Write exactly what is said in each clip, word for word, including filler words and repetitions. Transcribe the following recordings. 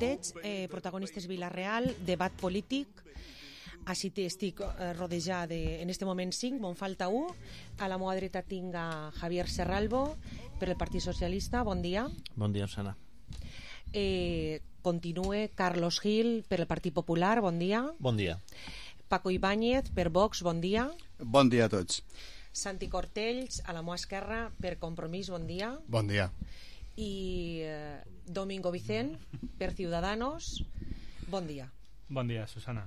xicotets, eh, protagonistes Vila-real, debat polític. Així estic eh, rodejada en este moment cinc, me'n falta un. A la meva dreta tinc a Javier Serralbo per el Partit Socialista, bon dia. Bon dia, Susana. Eh, continue Carlos Gil per el Partit Popular, bon dia. Bon dia. Paco Ibáñez per Vox, bon dia. Bon dia a tots. Santi Cortells, a la meva esquerra, per Compromís, bon dia. Bon dia. I eh, Domingo Vicent, per Ciudadanos, bon dia. Bon dia, Susana.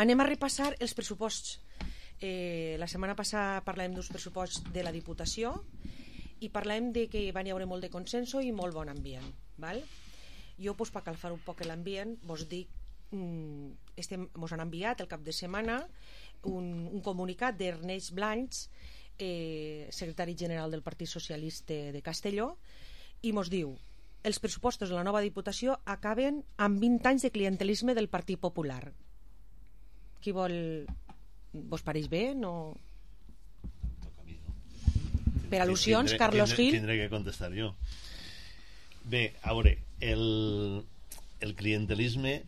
Anem a repassar els pressuposts. Eh, la setmana passada parlàvem dels pressuposts de la Diputació i parlàvem de que van hi haure molt de consenso i molt bon ambient. Val? Jo, pues, per calfar un poc l'ambient, vos dic, mm, estem, mos han enviat el cap de setmana un, un comunicat d'Ernest Blanch, eh, secretari general del Partit Socialista de Castelló, i mos diu: els pressupostos de la nova Diputació acaben amb vint anys de clientelisme del Partit Popular. Qui vol... Vos pareix bé? No... Per al·lusions, tindré, Carlos tindré, Gil. Tindré que contestar jo. Bé, a veure, el, el clientelisme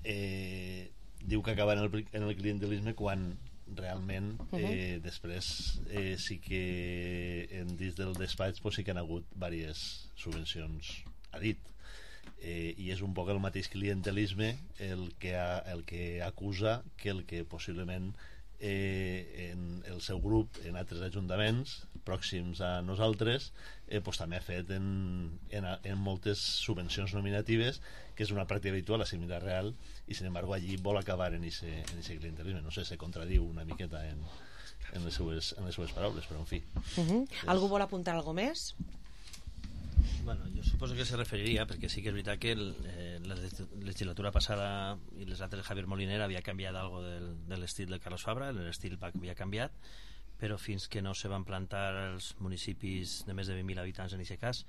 eh, diu que acaba en el, en el clientelisme quan realment eh, uh-huh. després eh, sí que en dins del despatx pues, sí que han hagut diverses subvencions a dit. Eh, i és un poc el mateix clientelisme el que, ha, el que acusa que el que possiblement eh, en el seu grup en altres ajuntaments pròxims a nosaltres eh, pues, també ha fet en, en, en moltes subvencions nominatives, que és una pràctica habitual a Vila-real, i sin embargo allí vol acabar en aquest clientelisme. No sé, se contradiu una miqueta en, en, les, seues, en les seues paraules, però en fi. Uh-huh. És... Algú vol apuntar alguna més? Bueno, jo suposo que se referiria, perquè sí que és veritat que el, eh, la legislatura passada i les altres Javier Moliner havia canviat algo del, de l'estil de Carlos Fabra, l'estil havia canviat, però fins que no se van plantar els municipis de més de vint mil habitants en aquest cas,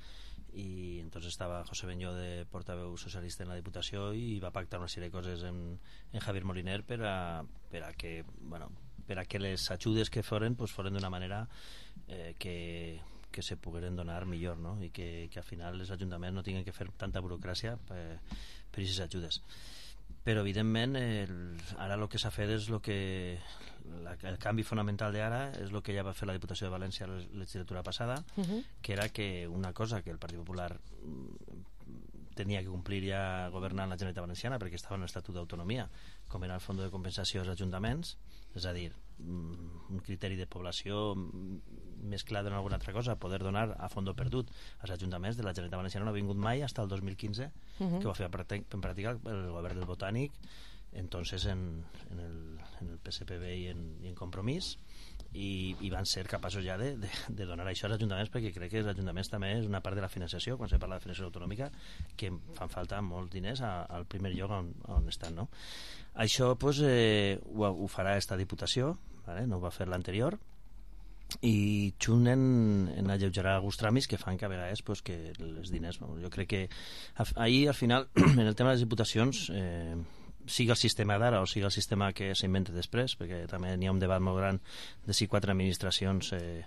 i entonces estava José Beñó de portaveu socialista en la Diputació i va pactar una sèrie de coses en, en Javier Moliner per a, per a que, bueno, per a que les ajudes que foren pues, foren d'una manera eh, que que se pogueren donar millor, no? I que, que al final els ajuntaments no tinguin que fer tanta burocràcia per, per aquestes ajudes. Però evidentment el, ara el que s'ha fet és el que la, el canvi fonamental d'ara és el que ja va fer la Diputació de València la legislatura passada, uh-huh. que era que una cosa que el Partit Popular tenia que complir ja governant la Generalitat Valenciana perquè estava en l'Estatut d'Autonomia, com era el Fons de Compensació als ajuntaments, és a dir, un criteri de població més clar d'una alguna altra cosa, poder donar a fondo perdut als ajuntaments de la Generalitat Valenciana no ha vingut mai fins al dos mil quinze, uh-huh. que va fer en pràctica el govern del Botànic, entonces en, en, el, en el P S P B i en, i en Compromís, i, i van ser capaços ja de, de, de donar això als ajuntaments, perquè crec que els ajuntaments també és una part de la financiació, quan se parla de financiació autonòmica, que fan falta molts diners a, al primer lloc on, on estan, no? Això pues, eh, ho, ho farà esta Diputació, vale? No ho va fer l'anterior, i junt en, en alleugerar alguns tràmits que fan que a vegades pues, que els diners, jo crec que ahir al final en el tema de les diputacions eh, sigui el sistema d'ara o sigui el sistema que s'inventa després, perquè també n'hi ha un debat molt gran de si quatre administracions eh,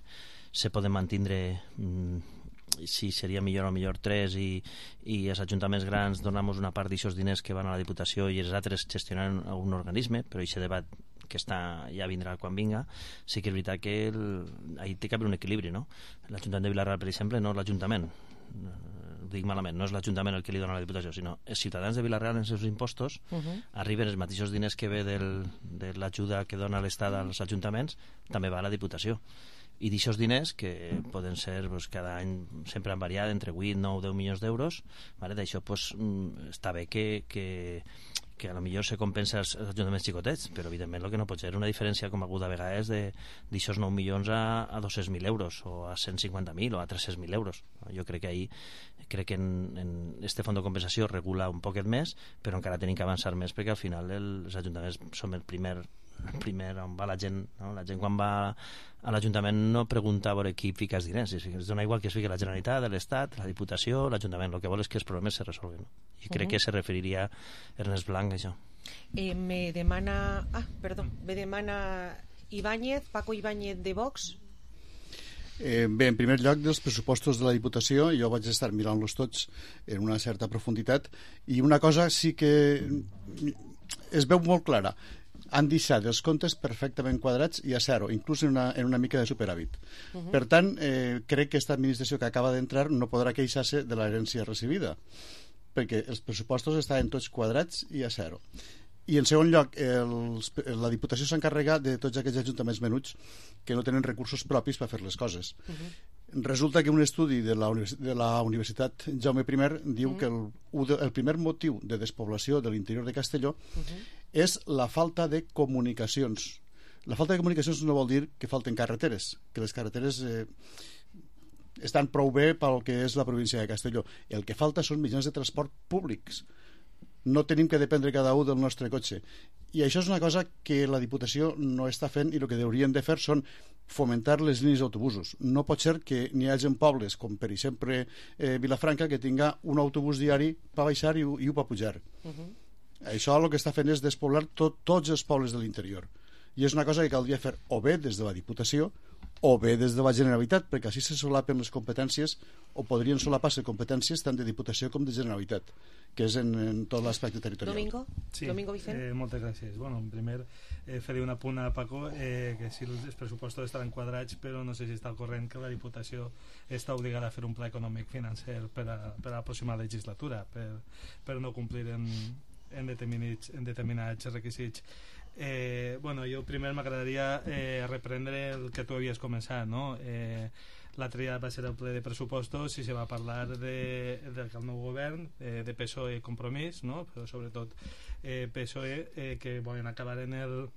se poden mantindre, mm, si seria millor o millor tres, i, i els ajuntaments grans donem una part d'aixòs diners que van a la Diputació i els altres gestionaran un organisme, però aquest debat que està, ja vindrà quan vinga. Sí que és veritat que el, ahí té que haver un equilibri, no? L'Ajuntament de Vila-real, per exemple, no l'Ajuntament, ho dic malament, no és l'Ajuntament el que li dona la Diputació, sinó els ciutadans de Vila-real en els seus impostos uh-huh. arriben els mateixos diners que ve del, de l'ajuda que dona l'Estat als ajuntaments, també va a la Diputació. I d'aixòs diners, que poden ser pues, cada any sempre han variat entre vuit, nou, deu milions d'euros, vale? D'això pues, està bé que, que, que a lo millor se compensa els ajuntaments xicotets, però evidentment el que no pot ser una diferència com aguda a vegades d'aixòs nou milions a, a dos-cents mil euros o a cent cinquanta mil o a tres-cents mil euros. Jo crec que ahir crec que en, en este fons de compensació regula un poquet més, però encara tenim que avançar més perquè al final el, els ajuntaments som el primer primer on va la gent, no? La gent quan va a l'Ajuntament no pregunta a veure qui fica els diners, es dona igual que es fiqui la Generalitat, l'Estat, la Diputació, l'Ajuntament, el que vol és que els problemes se resolguen, no? I crec uh-huh. que se referiria Ernest Blanc a això. Eh, me demana ah, perdó, me demana Ibáñez, Paco Ibáñez de Vox. Eh, bé, en primer lloc, dels pressupostos de la Diputació, jo vaig estar mirant-los tots en una certa profunditat, i una cosa sí que es veu molt clara. Han deixat els comptes perfectament quadrats i a zero, inclús en una, en una mica de superàvit. Uh -huh. Per tant, eh, crec que aquesta administració que acaba d'entrar no podrà queixar-se de l'herència recibida, perquè els pressupostos estaven tots quadrats i a zero. I en segon lloc, els, la Diputació s'encarrega de tots aquests ajuntaments menuts que no tenen recursos propis per fer les coses. Uh -huh. Resulta que un estudi de la, de la Universitat Jaume I diu uh -huh. que el, el primer motiu de despoblació de l'interior de Castelló uh -huh. és la falta de comunicacions. La falta de comunicacions no vol dir que falten carreteres, que les carreteres eh, estan prou bé pel que és la província de Castelló. El que falta són mitjans de transport públics. No tenim que dependre cada un del nostre cotxe. I això és una cosa que la Diputació no està fent, i el que haurien de fer són fomentar les línies d'autobusos. No pot ser que n'hi hagi pobles, com per exemple eh, Vilafranca, que tinga un autobús diari per baixar i, i un per pujar. Uh -huh. Això el que està fent és despoblar tot, tots els pobles de l'interior. I és una cosa que caldria fer o bé des de la Diputació o bé des de la Generalitat, perquè així se solapen les competències, o podrien solapar-se competències tant de Diputació com de Generalitat, que és en, en tot l'aspecte territorial. Domingo? Sí, Domingo Vicent? Eh, moltes gràcies. Bueno, en primer, eh, faré un apunt a Paco, eh, que si els pressupostos estaran quadrats, però no sé si està al corrent que la Diputació està obligada a fer un pla econòmic financer per a, per a la pròxima legislatura, per, per no complir en, en, determinats, en determinats requisits. Eh, bueno, jo primer m'agradaria eh, reprendre el que tu havies començat, no? Eh, l'altre dia va ser el ple de pressupostos i se va parlar de, de que el nou govern, eh, de P S O E Compromís, no? Però sobretot eh, P S O E, eh, que volen acabar en el,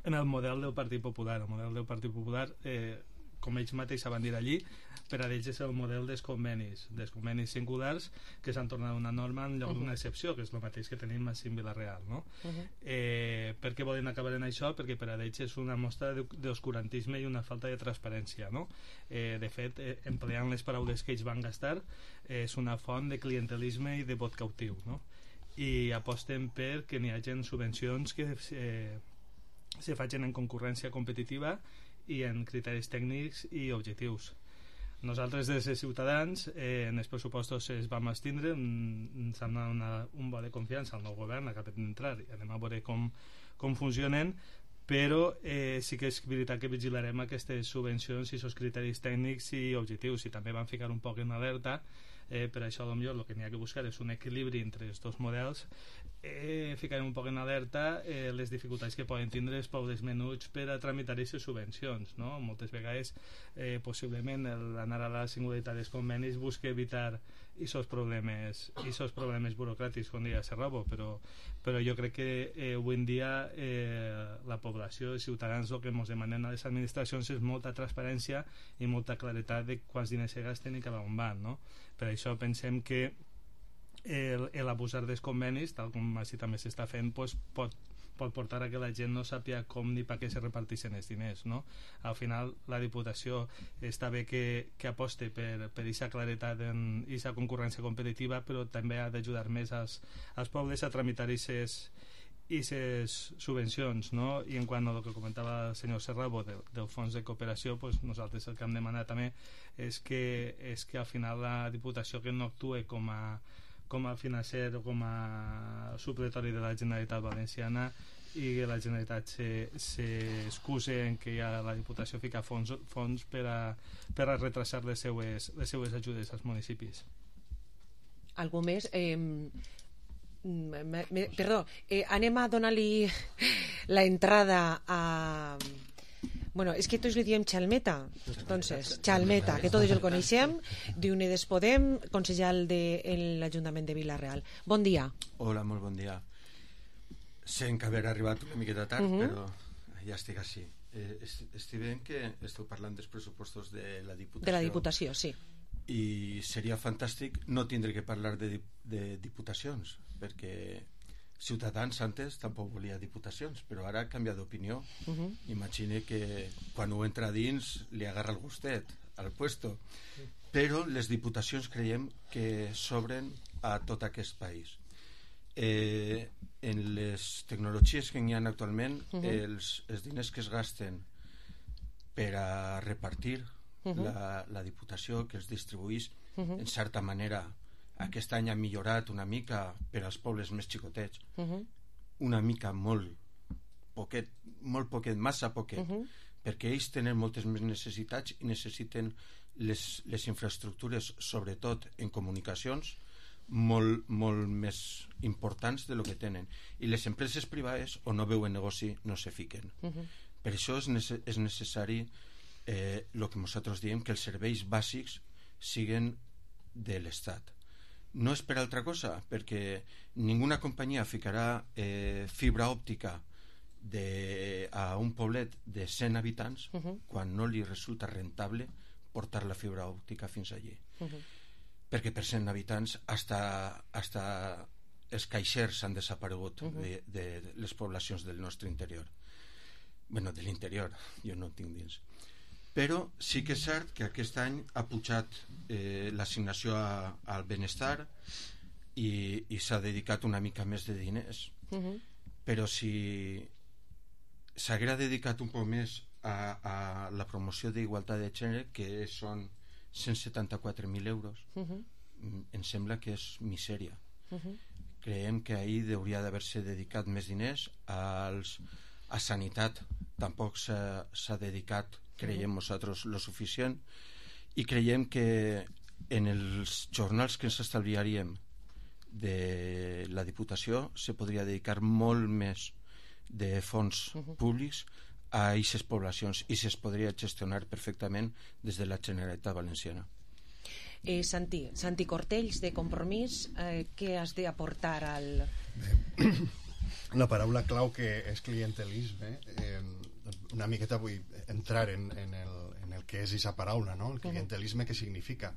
en el model del Partit Popular. El model del Partit Popular, eh, com ells mateixos van dir allí, per a ells és el model dels convenis, dels convenis singulars que s'han tornat una norma en lloc uh -huh. d'una excepció, que és el mateix que tenim a Vilareal, no? Uh -huh. eh, per què volen acabar en això? Perquè per a ells és una mostra d'oscurantisme i una falta de transparència, no? Eh, de fet, eh, empleant les paraules que ells van gastar, eh, és una font de clientelisme i de vot cautiu, no? I aposten per que n'hi hagi subvencions que eh, se facin en concurrència competitiva i en criteris tècnics i objectius. Nosaltres, des de Ciutadans, eh, en els pressupostos es vam abstindre, ens han donat un vot de confiança al nou govern, acaba d'entrar, i anem a veure com, com funcionen, però eh, sí que és veritat que vigilarem aquestes subvencions i aquests criteris tècnics i objectius, i també vam ficar un poc en alerta. Eh, per això potser el que n'hi ha que buscar és un equilibri entre els dos models. Eh, ficarem un poc en alerta eh, les dificultats que poden tindre els pobles menuts per a tramitar aquestes subvencions, no? Moltes vegades eh, possiblement anar a la singularitat dels convenis busca evitar aquests problemes aquests problemes burocràtics, com deia Serrabo, però, però jo crec que eh, avui en dia eh, la població, els ciutadans, el que ens demanen a les administracions és molta transparència i molta claretat de quants diners se gasten i cap on van, no? Per això pensem que el, el abusar dels convenis, tal com així també s'està fent, pues, pot, pot portar a que la gent no sàpiga com ni per què se reparteixen els diners, no? Al final la Diputació està bé que, que aposte per aquesta claretat i aquesta concurrència competitiva, però també ha d'ajudar més als, als pobles a tramitar aquestes subvencions, no? I en quant al que comentava el senyor Serrabo del, del fons de cooperació, pues nosaltres el que hem demanat també és que, és que al final la Diputació que no actue com a com a financer o com a supletori de la Generalitat Valenciana i que la Generalitat s'excuse en que ja la Diputació fica fons, fons per, a, per a retrasar les seues, les seues ajudes als municipis. Algú més? Eh, me, me, perdó, eh, anem a donar-li la entrada a... Bueno, és que tots li diem Chalmeta, entonces, Chalmeta, que tots el coneixem, d'Unides Podem, consellal de l'Ajuntament de Vila-real. Bon dia. Hola, molt bon dia. Sé que haver arribat una miqueta tard, uh -huh. però ja estic així. Eh, estic veient que esteu parlant dels pressupostos de la Diputació. De la Diputació, sí. I seria fantàstic no tindre que parlar de, de diputacions, perquè Ciutadans antes tampoc volia diputacions, però ara ha canviat d'opinió. Uh -huh. Imagine que quan ho entra dins li agarra el gustet al puesto. Però les diputacions creiem que s'obren a tot aquest país. Eh, en les tecnologies que hi ha actualment, uh -huh. els, els diners que es gasten per a repartir uh-huh. la, la Diputació, que els distribuís uh-huh. en certa manera. Aquest any ha millorat una mica per als pobles més xicotets, uh-huh. una mica molt poquet, molt poquet, massa poquet, uh-huh. perquè ells tenen moltes més necessitats i necessiten les, les infraestructures, sobretot en comunicacions, molt, molt més importants de lo que tenen. I les empreses privades, o no veuen negoci, no se fiquen. Uh-huh. Per això és, nece- és necessari eh, el que nosaltres diem, que els serveis bàsics siguen de l'Estat. No és per altra cosa, perquè ninguna companyia ficarà eh, fibra òptica de, a un poblet de cent habitants uh-huh. quan no li resulta rentable portar la fibra òptica fins allí. Uh-huh. Perquè per cent habitants hasta, hasta els caixers han desaparegut uh-huh. de, de les poblacions del nostre interior. Bueno, de l'interior, jo no en tinc dins. Però sí que és cert que aquest any ha pujat eh, l'assignació a, al benestar i, i s'ha dedicat una mica més de diners. Uh-huh. Però si s'haguera dedicat un poc més a, a la promoció d'igualtat de gènere, que són cent setanta-quatre mil euros, uh-huh. em sembla que és misèria. Uh-huh. Creiem que ahir hauria d'haver-se dedicat més diners als, a sanitat. Tampoc s'ha, s'ha dedicat, creiem nosaltres, lo suficient, i creiem que en els jornals que ens estalviaríem de la Diputació se podria dedicar molt més de fons uh-huh. públics a aquestes poblacions i es podria gestionar perfectament des de la Generalitat Valenciana. Eh, Santi, Santi Cortells, de Compromís, eh, què has d'aportar al... Bé, la paraula clau que és clientelisme, eh, una miqueta vull entrar en, en, el, en el que és aquesta paraula, no? El clientelisme, què significa?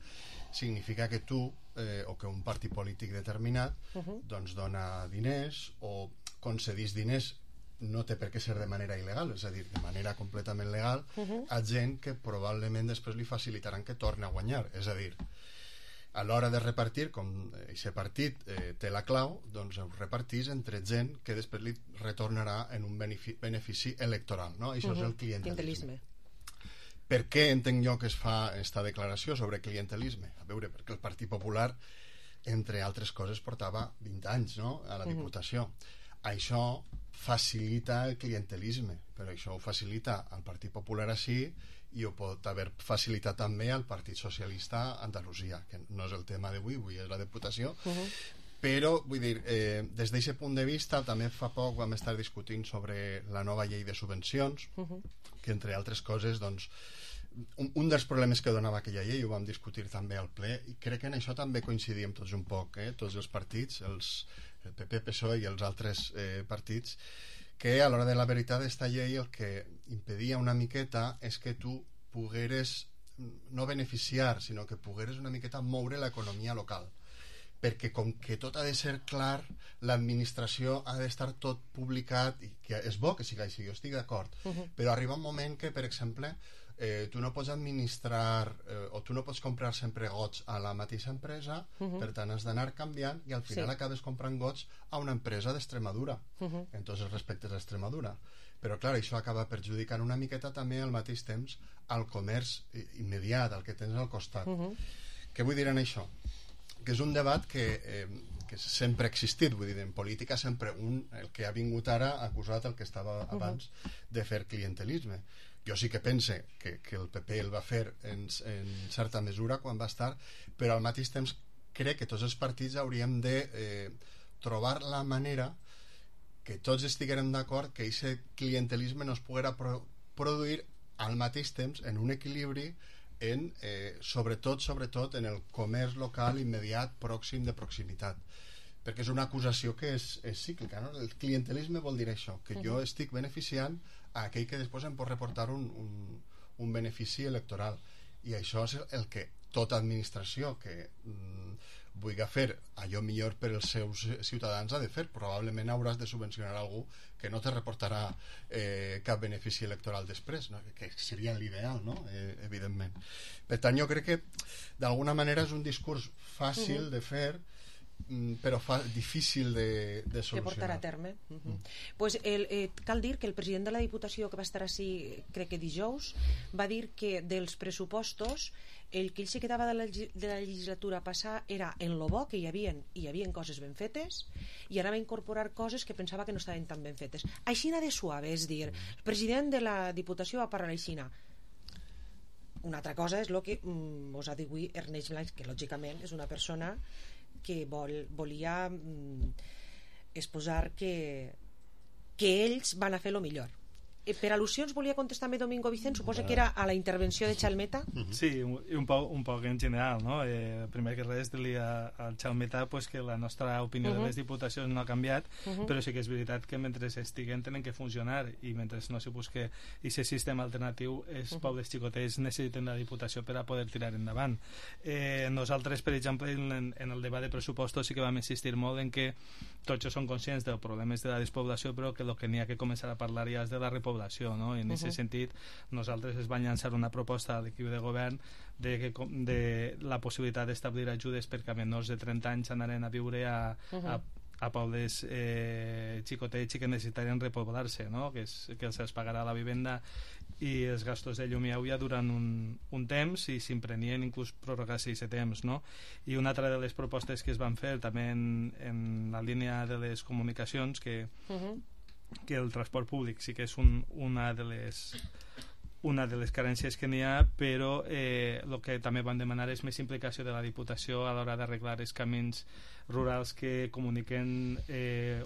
Significa que tu eh, o que un partit polític determinat uh-huh. doncs dona diners o concedís diners, no té per què ser de manera il·legal, és a dir, de manera completament legal, uh-huh. a gent que probablement després li facilitaran que torni a guanyar. És a dir, a l'hora de repartir, com aquest partit eh, té la clau, doncs ho repartís entre gent que després li retornarà en un benefici, benefici electoral, no? Això uh-huh. és el clientelisme. Per què entenc jo que es fa esta declaració sobre clientelisme? A veure, perquè el Partit Popular, entre altres coses, portava vint anys, no?, a la Diputació. Uh-huh. Això facilita el clientelisme, però això ho facilita al Partit Popular així i ho pot haver facilitat també al Partit Socialista a Andalusia, que no és el tema d'avui, avui és la Diputació. Uh-huh. Però, vull dir, eh, des d'aquest punt de vista, també fa poc vam estar discutint sobre la nova llei de subvencions, uh-huh. que entre altres coses, doncs, un, un dels problemes que donava aquella llei, ho vam discutir també al ple, i crec que en això també coincidíem tots un poc, eh, tots els partits, els, el P P, P S O E i els altres eh, partits, que a l'hora de la veritat esta llei el que impedia una miqueta és que tu pogueres no beneficiar, sinó que pogueres una miqueta moure l'economia local, perquè com que tot ha de ser clar, l'administració ha d'estar tot publicat, i que és bo que sigui així, jo estic d'acord, uh-huh. però arriba un moment que, per exemple, eh, tu no pots administrar eh, o tu no pots comprar sempre gots a la mateixa empresa, uh-huh. per tant has d'anar canviant i al final sí. acabes comprant gots a una empresa d'Extremadura, uh-huh. en tots els respectes a Extremadura. Però clar, això acaba perjudicant una miqueta també al mateix temps al comerç immediat, al que tens al costat. Uh-huh. Què vull dir en això? Que és un debat que, eh, que sempre ha existit, vull dir, en política sempre un, el que ha vingut ara ha acusat el que estava abans uh-huh. de fer clientelisme. Jo sí que pense que, que el P P el va fer en, en certa mesura quan va estar, però al mateix temps crec que tots els partits hauríem de eh, trobar la manera que tots estiguérem d'acord que aquest clientelisme no es poguera pro produir al mateix temps en un equilibri en, eh, sobretot, sobretot en el comerç local immediat, pròxim, de proximitat, perquè és una acusació que és, és cíclica, no? El clientelisme vol dir això, que jo estic beneficiant a aquell que després em pot reportar un, un, un benefici electoral, i això és el que tota administració que mm, vulgui fer allò millor per als seus ciutadans ha de fer. Probablement hauràs de subvencionar algú que no te reportarà eh, cap benefici electoral després, no? Que seria l'ideal, no? Eh, evidentment. Per tant, jo crec que d'alguna manera és un discurs fàcil uh-huh. de fer, però fa difícil de, de solucionar. De portar a terme. Uh -huh. mm. pues el, eh, cal dir que el president de la Diputació, que va estar així, crec que dijous, va dir que dels pressupostos el que ell se quedava de la, de la legislatura passada era en lo bo que hi havia, hi havia coses ben fetes, i anava a incorporar coses que pensava que no estaven tan ben fetes. Aixina de suave, és dir, el president de la Diputació va parlar aixina. Una altra cosa és el que mm, vos ha dit avui Ernest Blancs, que lògicament és una persona que vol, volia mm, exposar que, que ells van a fer lo millor. Eh, per al·lusions volia contestar-me Domingo Vicent, suposa que era a la intervenció de Chalmeta. Sí, un, un, poc, un poc en general, no? Eh, primer que res dir al Chalmeta pues, que la nostra opinió uh -huh. de les diputacions no ha canviat, uh -huh. però sí que és veritat que mentre estiguen tenen que funcionar, i mentre no se busque aquest sistema alternatiu, els uh -huh. pobles xicotets necessiten la diputació per a poder tirar endavant. Eh, nosaltres, per exemple, en, en el debat de pressupostos sí que vam insistir molt en que tots són conscients dels problemes de la despoblació, però que el que n'hi ha que començar a parlar ja és de la repoblació, no? I en aquest uh -huh. sentit nosaltres es van llançar una proposta a l'equip de govern de, que, de la possibilitat d'establir ajudes perquè a menors de trenta anys anaren a viure a, uh -huh. a a pobles eh, xicotets i que necessitarien repoblar-se, no? que, és, que se'ls pagarà la vivenda i els gastos de llum i aigua durant un, un temps, i s'imprenien inclús prorrogar-se aquest temps, no? I una altra de les propostes que es van fer també en, en la línia de les comunicacions, que, uh -huh. que el transport públic sí que és un, una de les una de les carències que n'hi ha, però eh, el que també van demanar és més implicació de la Diputació a l'hora d'arreglar els camins rurals que comuniquen eh,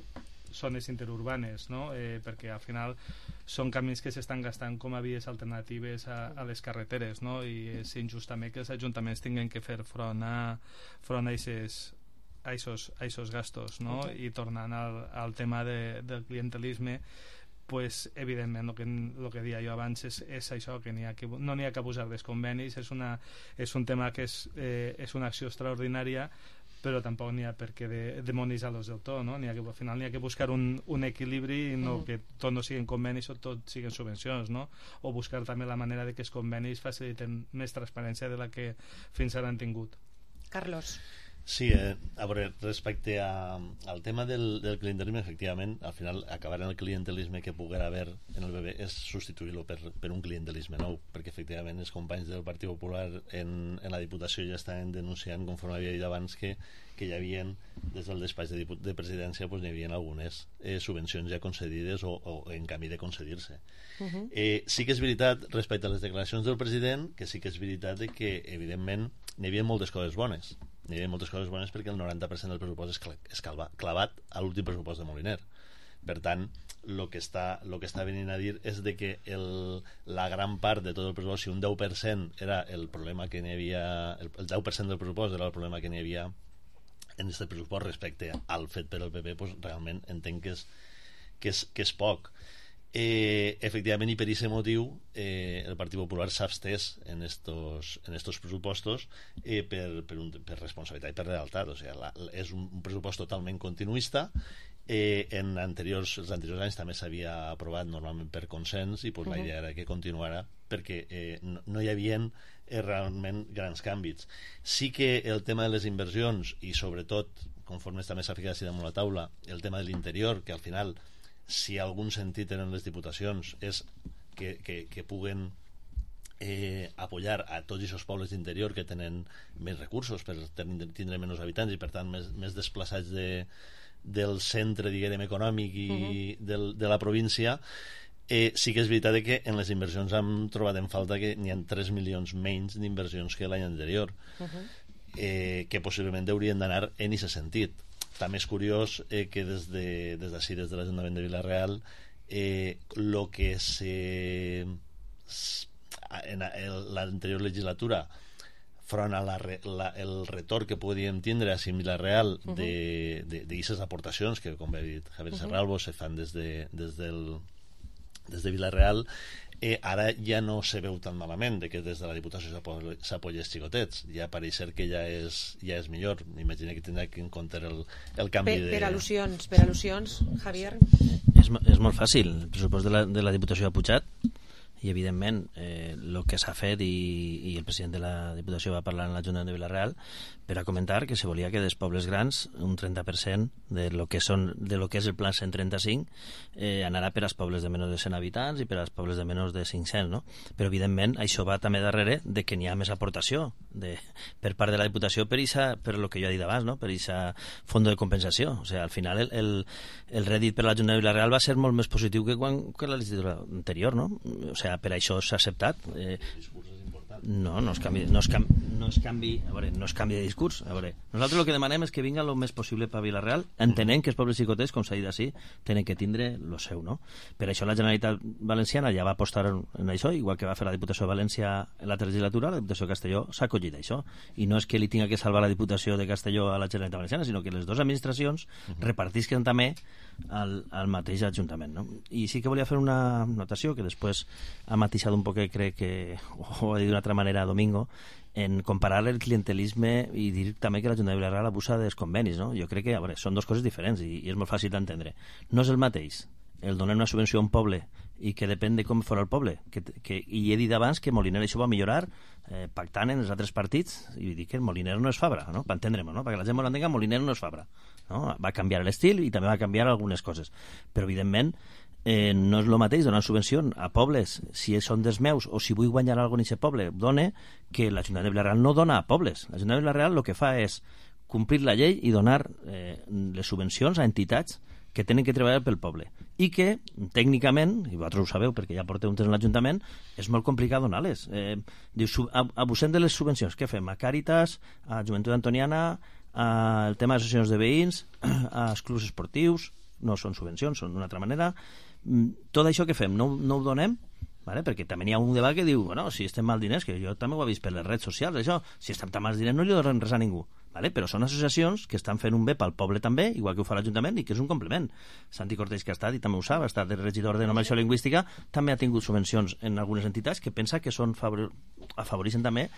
zones interurbanes, no? eh, perquè al final són camins que s'estan gastant com a vies alternatives a, a les carreteres, no? I és injust també que els ajuntaments tinguin que fer front a front a aquests a aquests gastos, no? Okay. I tornant al, al tema de, del clientelisme, pues, evidentment el que, el que deia jo abans és, és això, que, ha que no n'hi ha que abusar dels convenis, és, una, és un tema que és, eh, és una acció extraordinària, però tampoc n'hi ha per què de, demonitzar-los del tot, no? N'hi ha que, al final n'hi ha que buscar un, un equilibri i no uh -huh. que tot no siguin convenis o tot siguin subvencions, no? O buscar també la manera de que els convenis faciliten més transparència de la que fins ara han tingut. Carlos. Sí, eh, a veure, respecte a, al tema del, del clientelisme, efectivament, al final acabar en el clientelisme que poguera haver en el B B és substituir-lo per, per un clientelisme nou, perquè efectivament els companys del Partit Popular en, en la Diputació ja estaven denunciant, conforme havia dit abans, que, que hi havia, des del despatx de, de presidència, pues, hi havia algunes eh, subvencions ja concedides o, o en camí de concedir-se. Uh -huh. eh, sí que és veritat, respecte a les declaracions del president, que sí que és veritat que, evidentment, n'hi havia moltes coses bones. N'hi havia moltes coses bones perquè el noranta per cent del pressupost és, cl és clavat a l'últim pressupost de Moliner. Per tant, el que està, lo que està venint a dir és de que el, la gran part de tot el pressupost, si un deu per cent era el problema que n'hi havia, el, el deu per cent del pressupost era el problema que n'hi havia en aquest pressupost respecte al fet per el P P, pues, realment entenc que és, que és, que és poc. Eh, efectivament, i per aquest motiu eh, el Partit Popular s'ha abstès en estos, en estos pressupostos eh, per, per, un, per responsabilitat i per lealtat. O sigui, la, és un, un pressupost totalment continuista. Eh, en anteriors, els anteriors anys també s'havia aprovat normalment per consens, i pues, uh -huh. la idea era que continuara perquè eh, no, no hi havia eh, realment grans canvis. Sí que el tema de les inversions, i sobretot conforme també s'ha ficat així damunt la taula, el tema de l'interior, que al final, si algun sentit tenen les diputacions, és que, que, que puguen eh, apoyar a tots aquests pobles d'interior que tenen més recursos per tindre menys habitants i per tant més, més desplaçats de, del centre, diguem, econòmic i uh-huh. del, de la província. Eh, sí que és veritat que en les inversions hem trobat en falta que n'hi ha tres milions menys d'inversions que l'any anterior, uh-huh. eh, que possiblement haurien d'anar en aquest sentit. També és curiós eh, que des de, des d'ací, des de l'Ajuntament de Vila-real, eh, lo que se en l'anterior legislatura front a la, la, el retorn que podíem tindre a Vila-real uh -huh. de, de, d'aquestes aportacions que, com ha dit Javier uh -huh. Serralbo, se fan des de, des del, des de Vila-real, eh, ara ja no se veu tan malament de que des de la Diputació s'apoya els xicotets. Ja pareix ser que ja és, ja és millor. M'imagino que tindrà que en compte el, el canvi per, de... Per al·lusions, per al·lusions, Javier. És, és molt fàcil. El pressupost de la, de la Diputació ha pujat i evidentment eh, el que s'ha fet, i, i el president de la Diputació va parlar en l'Ajuntament de Vila-real, per a comentar que se volia que dels pobles grans un trenta per cent de lo que, són, de lo que és el Pla cent trenta-cinc eh, anarà per als pobles de menys de cent habitants i per als pobles de menys de cinc-cents, no? Però evidentment això va també darrere de que n'hi ha més aportació de, per part de la Diputació per, isa, per lo que jo he dit abans, no? Per aquest fons de compensació. O sigui, al final el, el, el rèdit per l'Ajuntament de Vila-real va ser molt més positiu que, quan, que la legislatura anterior, no? O sigui, per això s'ha acceptat. Eh, no, no es canvi, no es canvi, no es canvi, a veure, no es canvi de discurs. A veure, nosaltres el que demanem és que vinga el més possible per Vila-real, entenent que els pobles xicotets, com s'ha dit així, tenen que tindre lo seu, no? Per això la Generalitat Valenciana ja va apostar en això, igual que va fer la Diputació de València en l'altra legislatura, la Diputació de Castelló s'ha acollit a això, i no és que li tinga que salvar la Diputació de Castelló a la Generalitat Valenciana, sinó que les dues administracions repartisquen també al, al mateix Ajuntament, no? I sí que volia fer una notació que després ha matisat un poc, crec que ho ha dit d'una altra manera Domingo, en comparar el clientelisme i dir també que l'Ajuntament de Vila-real abusa dels convenis, no? Jo crec que, a veure, són dues coses diferents i, i és molt fàcil d'entendre. No és el mateix el donar una subvenció a un poble i que depèn de com fora el poble, que, que, i he dit abans que Moliner això va millorar eh, pactant en els altres partits, i dir que el Moliner no és Fabra, no? Per entendre'm, no? Perquè la gent molt entenga, Moliner no és Fabra, no? Va canviar l'estil i també va canviar algunes coses, però evidentment Eh, no és el mateix donar subvenció a pobles si són dels meus o si vull guanyar alguna cosa en aquest poble dona, que l'Ajuntament de Vila-real no dona a pobles. L'Ajuntament de Vila-real el que fa és complir la llei i donar eh, les subvencions a entitats que tenen que treballar pel poble i que tècnicament, i vosaltres ho sabeu perquè ja porteu un temps en l'Ajuntament, és molt complicat donar-les. Eh, dius, abusem de les subvencions. Què fem? A Càritas, a Joventut Antoniana, al tema d'associacions de veïns, als clubs esportius, no són subvencions, són d'una altra manera. Tot això que fem no, no ho donem, vale? Perquè també hi ha un debat que diu, bueno, si estem mal diners, que jo també ho he vist per les redes socials, això, si estem tan mal diners no li donem res a ningú, vale? Però són associacions que estan fent un bé pel poble també, igual que ho fa l'Ajuntament, i que és un complement. Santi Cortés, que ha estat, i també ho sap, ha estat el regidor de normalització lingüística, també ha tingut subvencions en algunes entitats que pensa que són favor... afavoreixen també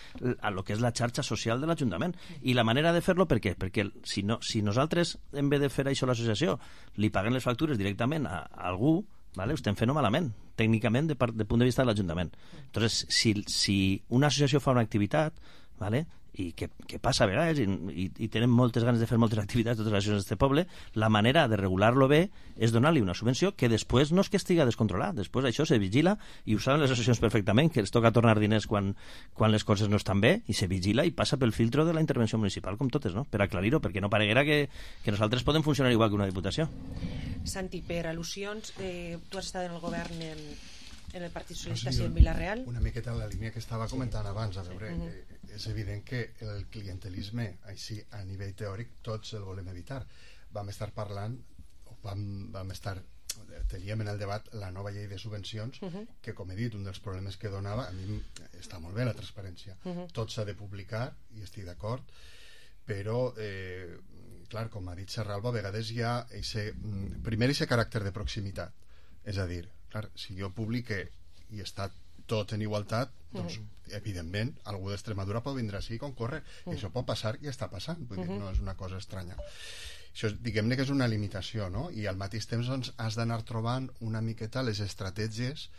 a lo que és la xarxa social de l'Ajuntament. I la manera de fer-lo, per què? Perquè si, no, si nosaltres, en vez de fer això a l'associació, li paguem les factures directament a, a algú, vale? Ho estem fent malament, tècnicament, de, part, de punt de vista de l'Ajuntament. Entonces, si, si una associació fa una activitat, vale? I que, que passa a vegades, i, i, i tenen moltes ganes de fer moltes activitats totes les associacions d'aquest poble, la manera de regular-lo bé és donar-li una subvenció que després no és que estigui descontrolat, després això se vigila, i ho saben les associacions perfectament, que els toca tornar diners quan, quan les coses no estan bé, i se vigila i passa pel filtro de la intervenció municipal, com totes, no? Per aclarir-ho, perquè no pareguera que, que nosaltres podem funcionar igual que una diputació. Santi, per al·lusions, eh, tu has estat en el govern en, en el Partit Socialista, sí, en Vila-real. Una miqueta en la línia que estava comentant abans, a veure, uh -huh. eh, és evident que el clientelisme, així a nivell teòric, tots el volem evitar. Vam estar parlant, o vam, vam estar, teníem en el debat la nova llei de subvencions, uh -huh. que, com he dit, un dels problemes que donava, a mi està molt bé la transparència, uh -huh. tot s'ha de publicar, i estic d'acord, però, eh, clar, com ha dit Serralbo, a vegades hi ha ese, primer aquest caràcter de proximitat, és a dir, clar, si jo publique i està tot en igualtat, doncs, uh -huh. evidentment, algú d'Extremadura pot vindre així i concórrer. Uh -huh. I això pot passar i està passant. Vull uh -huh. dir, no és una cosa estranya. Això, diguem-ne que és una limitació, no? I al mateix temps, doncs, has d'anar trobant una miqueta les estratègies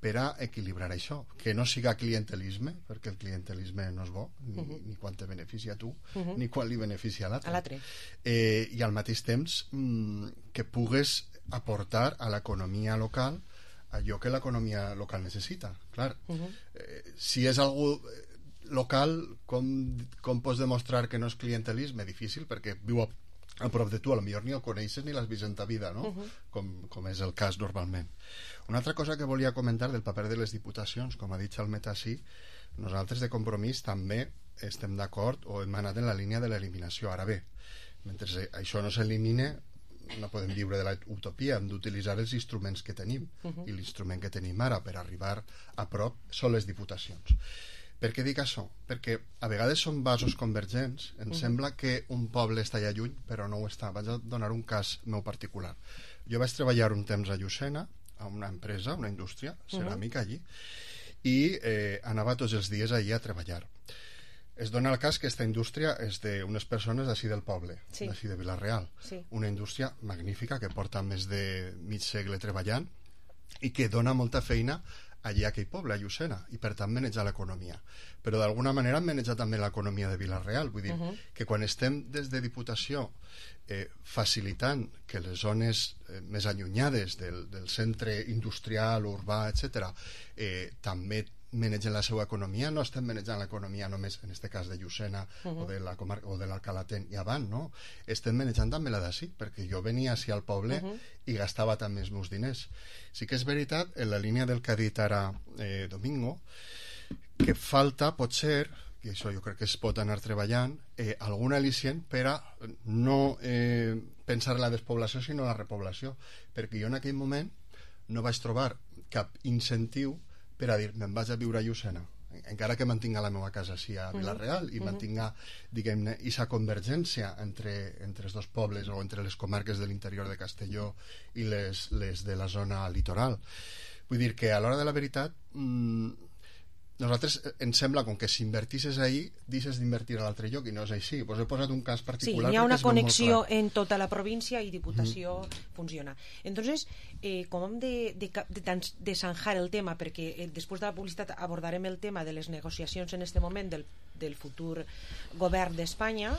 per a equilibrar això. Que no siga clientelisme, perquè el clientelisme no és bo, ni, uh -huh. ni quan te beneficia a tu, uh -huh. ni quan li beneficia a l'altre. Eh, I al mateix temps, mmm, que pugues aportar a l'economia local allò que l'economia local necessita. Clar, uh -huh. eh, si és algú local, com, com pots demostrar que no és clientelisme? Difícil, perquè viu a, a prop de tu, a lo millor ni el coneixes ni l'has vist en ta vida, no? Uh -huh. com, com és el cas normalment. Una altra cosa que volia comentar del paper de les diputacions, com ha dit el Metasí, nosaltres de Compromís també estem d'acord o hem anat en la línia de l'eliminació. Ara bé, mentre això no s'elimine, no podem viure de la utopia, hem d'utilitzar els instruments que tenim, uh -huh. i l'instrument que tenim ara per arribar a prop són les diputacions. Per què dic això? Perquè a vegades són vasos convergents, em uh -huh. sembla que un poble està allà lluny, però no ho està. Vaig a donar un cas meu particular. Jo vaig treballar un temps a Llucena, a una empresa, una indústria ceràmica allí, i eh, anava tots els dies allí a treballar. Es dona el cas que aquesta indústria és d'unes persones d'ací del poble, sí. d'ací de Vila-real. Sí. Una indústria magnífica que porta més de mig segle treballant i que dona molta feina allí a aquell poble, a Llucena, i per tant manejar l'economia. Però d'alguna manera han manejat també l'economia de Vila-real, vull dir, uh-huh. que quan estem des de Diputació eh, facilitant que les zones eh, més allunyades del, del centre industrial, urbà, etcètera, eh, també manegen la seva economia, no estem manejant l'economia només en aquest cas de Llucena uh-huh. o de la comarca o de l'Alcalatén i avant, no? Estem manejant també la d'ací, perquè jo venia així al poble uh-huh. i gastava també els meus diners. Sí que és veritat, en la línia del que ha dit ara eh, Domingo, que falta, potser, i això jo crec que es pot anar treballant, eh, algun al·licient per a no eh, pensar en la despoblació, sinó en la repoblació, perquè jo en aquell moment no vaig trobar cap incentiu per a dir, me'n vaig a viure a Llucena, encara que mantinga la meva casa així a Vila-real i mantinga, diguem-ne, aquesta convergència entre, entre els dos pobles o entre les comarques de l'interior de Castelló i les, les de la zona litoral. Vull dir que a l'hora de la veritat mmm, nosaltres ens sembla com que si invertisses ahí deixes d'invertir a l'altre lloc i no és així. Pues he posat un cas particular. Sí, hi ha una connexió en tota la província i Diputació mm. funciona. Entonces, eh, com hem de, de, de, de zanjar el tema, perquè eh, després de la publicitat abordarem el tema de les negociacions en este moment del, del futur govern d'Espanya,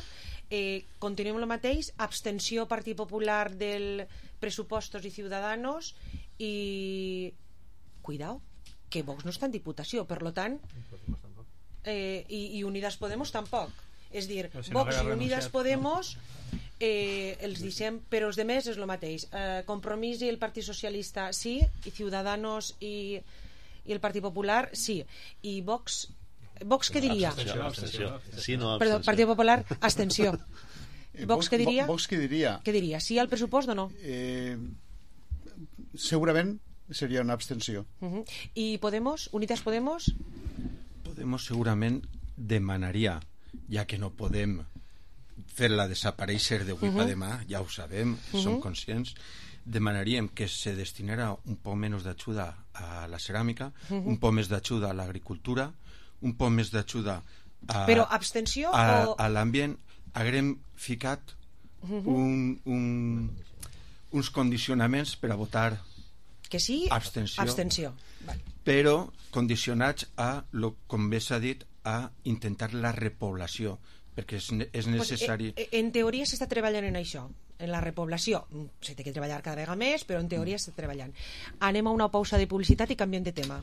eh, continuem el mateix, abstenció Partit Popular del Pressupostos i Ciudadanos i... Cuidao, que Vox no està en Diputació, per lo tant eh, i, i Unidas Podemos tampoc, és dir, si no Vox i Unidas Podemos eh, els deixem, però els demés és el mateix, eh, Compromís i el Partit Socialista sí, i Ciudadanos i, i el Partit Popular sí, i Vox Vox què diria? Abstenció, abstenció. Sí, no, Perdó, Partit Popular, abstenció. Vox què diria? Vox què diria? Què diria? Sí al pressupost o no? Eh, segurament seria una abstenció. Uh-huh. I Podemos? Unidas Podemos? Podemos segurament demanaria, ja que no podem fer-la desaparèixer d'avui uh-huh. per demà, ja ho sabem, uh-huh. som conscients, demanaríem que se destinara un poc menys d'ajuda a la ceràmica, uh-huh. un poc més d'ajuda a l'agricultura, un poc més d'ajuda a, Però abstenció a, o... a l'ambient. Haguem ficat uh-huh. un, un, uns condicionaments per a votar que sí, abstenció, abstenció. Vale. Però condicionats a, lo, com bé s'ha dit, a intentar la repoblació, perquè és, és necessari... Pues, eh, en teoria s'està treballant en això, en la repoblació. Se té que treballar cada vegada més, però en teoria s'està treballant. Anem a una pausa de publicitat i canviem de tema.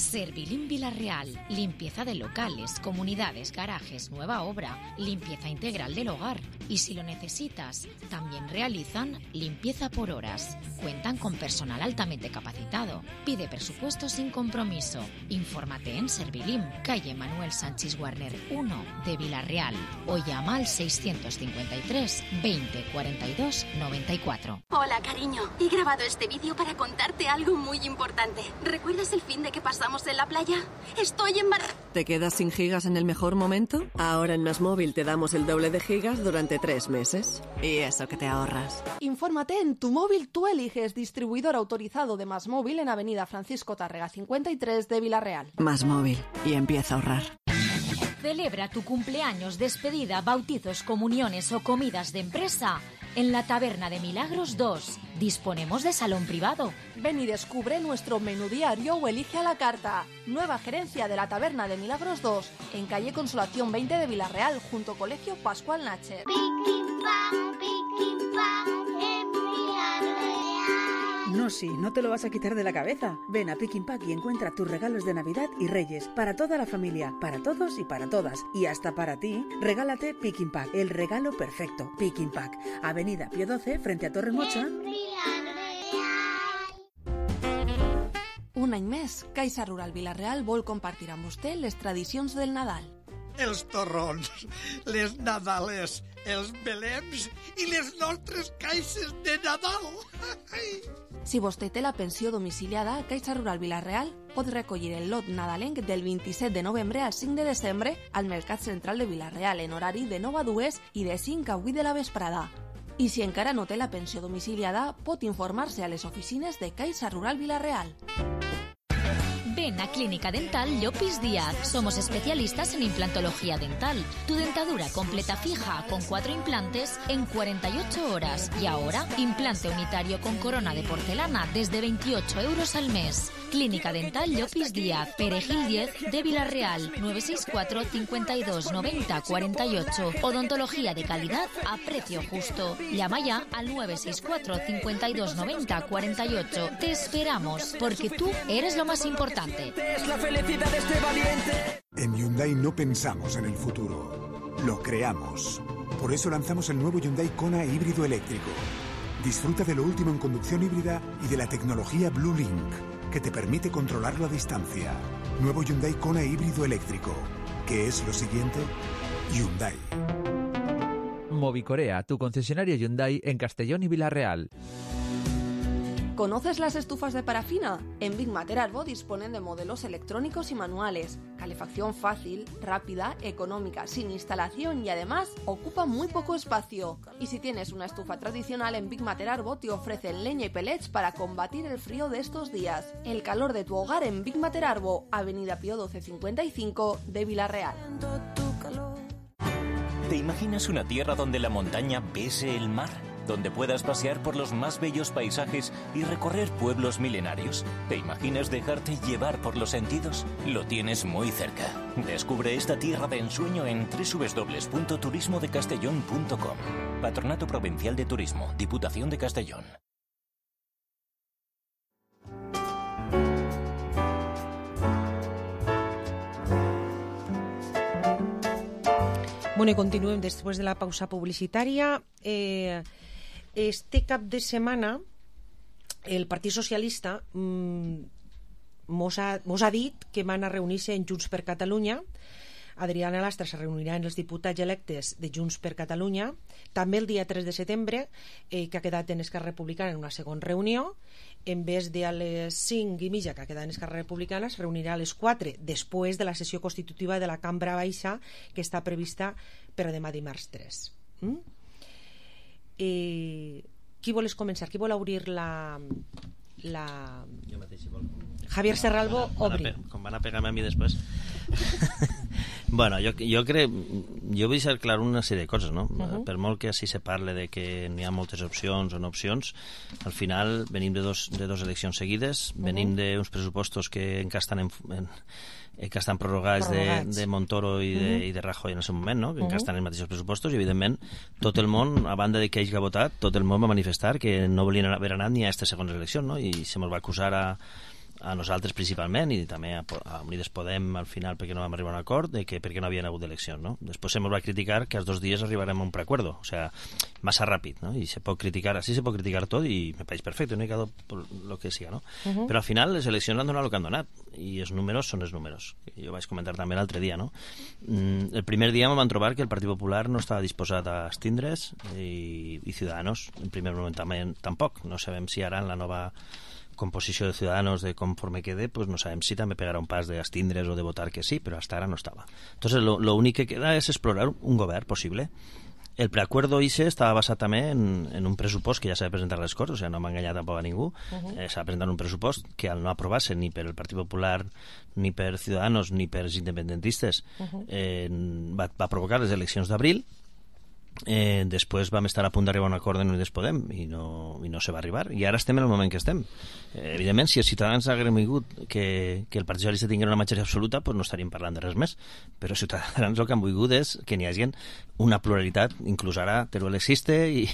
Servilim Vila-real, limpieza de locales, comunidades, garajes, nueva obra, limpieza integral del hogar. Y si lo necesitas, también realizan limpieza por horas. Cuentan con personal altamente capacitado. Pide presupuesto sin compromiso. Infórmate en Servilim, calle Manuel Sánchez Warner uno de Vila-real o llama al seiscientos cincuenta y tres veinte cuarenta y dos noventa y cuatro. Hola, cariño. He grabado este vídeo para contarte algo muy importante. ¿Recuerdas el fin de que pasamos en la playa? Estoy embarazada. ¿Te quedas sin gigas en el mejor momento? Ahora en Más Móvil te damos el doble de gigas durante tres meses. Y eso que te ahorras. Infórmate en Tu Móvil Tú Eliges, distribuidor autorizado de Más Móvil en Avenida Francisco Tárrega cincuenta y tres de Vila-real. Más Móvil. Y empieza a ahorrar. Celebra tu cumpleaños, despedida, bautizos, comuniones o comidas de empresa en la Taberna de Milagros dos. Disponemos de salón privado. Ven y descubre nuestro menú diario o elige a la carta. Nueva gerencia de la Taberna de Milagros dos, en calle Consolación veinte de Vila-real, junto Colegio Pascual Nacher. No, sí, no te lo vas a quitar de la cabeza. Ven a Picking Pack y encuentra tus regalos de Navidad y Reyes para toda la familia, para todos y para todas. Y hasta para ti, regálate Picking Pack, el regalo perfecto. Picking Pack, Avenida Pío doce, frente a Torre Mocha. Un any més, Caixa Rural Vila-real vol compartir amb vostè les tradicions del Nadal. Els torrons, les nadales, els belems i les nostres caixes de Nadal. Si vostè té la pensió domiciliada, Caixa Rural Vila-real pot recollir el lot nadalenc del vint-i-set de novembre al cinc de desembre al Mercat Central de Vila-real en horari de nou a dues i de cinc a vuit de la vesprada. I si encara no té la pensió domiciliada, pot informar-se a les oficines de Caixa Rural Vila-real. Ven a Clínica Dental Llopis Díaz. Somos especialistas en implantología dental. Tu dentadura completa fija con cuatro implantes en cuarenta y ocho horas. Y ahora, implante unitario con corona de porcelana desde veintiocho euros al mes. Clínica Dental Llopis Díaz, Perejil diez de Villarreal, nueve seis cuatro, cincuenta y dos, noventa, cuarenta y ocho. Odontología de calidad a precio justo. Llama ya al nueve seis cuatro, cincuenta y dos, noventa, cuarenta y ocho. Te esperamos, porque tú eres lo más importante. Es la felicidad de este valiente. En Hyundai no pensamos en el futuro, lo creamos. Por eso lanzamos el nuevo Hyundai Kona híbrido eléctrico. Disfruta de lo último en conducción híbrida y de la tecnología Blue Link, que te permite controlarlo a distancia. Nuevo Hyundai Kona híbrido eléctrico. ¿Qué es lo siguiente? Hyundai. Movicorea, tu concesionario Hyundai en Castellón y Villarreal. ¿Conoces las estufas de parafina? En Big Mater Arbo disponen de modelos electrónicos y manuales, calefacción fácil, rápida, económica, sin instalación y además ocupa muy poco espacio. Y si tienes una estufa tradicional, en Big Mater Arbo te ofrecen leña y pellets para combatir el frío de estos días. El calor de tu hogar en Big Mater Arbo, Avenida Pío doce cincuenta y cinco de Villarreal. ¿Te imaginas una tierra donde la montaña bese el mar? ¿Donde puedas pasear por los más bellos paisajes y recorrer pueblos milenarios? ¿Te imaginas dejarte llevar por los sentidos? Lo tienes muy cerca. Descubre esta tierra de ensueño en doble u doble u doble u punto turismo de castellón punto com. Patronato Provincial de Turismo, Diputación de Castellón. Bueno, y continuem després de la pausa publicitària. Eh, este cap de setmana el Partit Socialista mmm, mos, ha, mos ha dit que van a reunir-se en Junts per Catalunya. Adriana Lastra se reunirà amb els diputats electes de Junts per Catalunya. També el dia tres de setembre, eh, que ha quedat en Esquerra Republicana en una segona reunió. En vez de a les cinc i mitja que ha quedat en Esquerra Republicana, es reunirà a les quatre, després de la sessió constitutiva de la Cambra Baixa, que està prevista per a demà dimarts tres. Mm? Eh, qui vols començar? Qui vol obrir la... la... Jo mateix, si vol. Javier Serralbo, obri. Com van a pegar-me a mi després. Bueno, jo, jo crec... Jo vull ser clar una sèrie de coses, no? Uh-huh. Per molt que així se parle de que n'hi ha moltes opcions o no opcions, al final venim de dos, de dos eleccions seguides, uh-huh. venim d'uns pressupostos que encara estan en, en que estan prorrogats, prorrogats. De, de Montoro i de, uh-huh. i de Rajoy en el seu moment, no? Que uh-huh. encara estan en els mateixos pressupostos i, evidentment, tot el món, a banda de que ells que ha votat, tot el món va manifestar que no volien haver anat ni a aquestes segones eleccions, no? I se mos va acusar a, a nosaltres principalment i també a, a Unides Podem al final perquè no vam arribar a un acord de que perquè no havien hagut d'eleccions, no? Després se mos va criticar que als dos dies arribarem a un preacuerdo, o sea, massa ràpid, no? I se pot criticar, així se pot criticar tot i me pareix perfecte, no hi ha por lo que siga, no? Uh-huh. Però al final les eleccions han donat el que han donat i els números són els números. Jo vaig comentar també l'altre dia, no? Mm, el primer dia em van trobar que el Partit Popular no estava disposat a estindre's i, i Ciudadanos en primer moment també tampoc. No sabem si ara en la nova composició de Ciudadanos de conforme quede, pues no sabem si també pegarà un pas d'estindre's o de votar que sí, però hasta ara no estava. Entonces lo, lo únic que queda és explorar un govern possible. El preacuerdo I C E estava basat també en, en un pressupost que ja s'ha de presentar a les Corts, o sigui, no m'ha enganyat tampoc a ningú. Uh-huh. eh, s'ha presentat un pressupost que al no aprovar-se ni per el Partit Popular, ni per Ciudadanos, ni per els independentistes, uh-huh. eh, va, va provocar les eleccions d'abril. Eh, després vam estar a punt d'arribar a un acord en Unides Podem i no, i no se va arribar i ara estem en el moment que estem. eh, evidentment si els ciutadans haguessin vingut que, que el Partit Socialista tingués una majoria absoluta, pues no estaríem parlant de res més, però els ciutadans el que han volgut és que n'hi hagi una pluralitat, inclús ara Teruel existe i,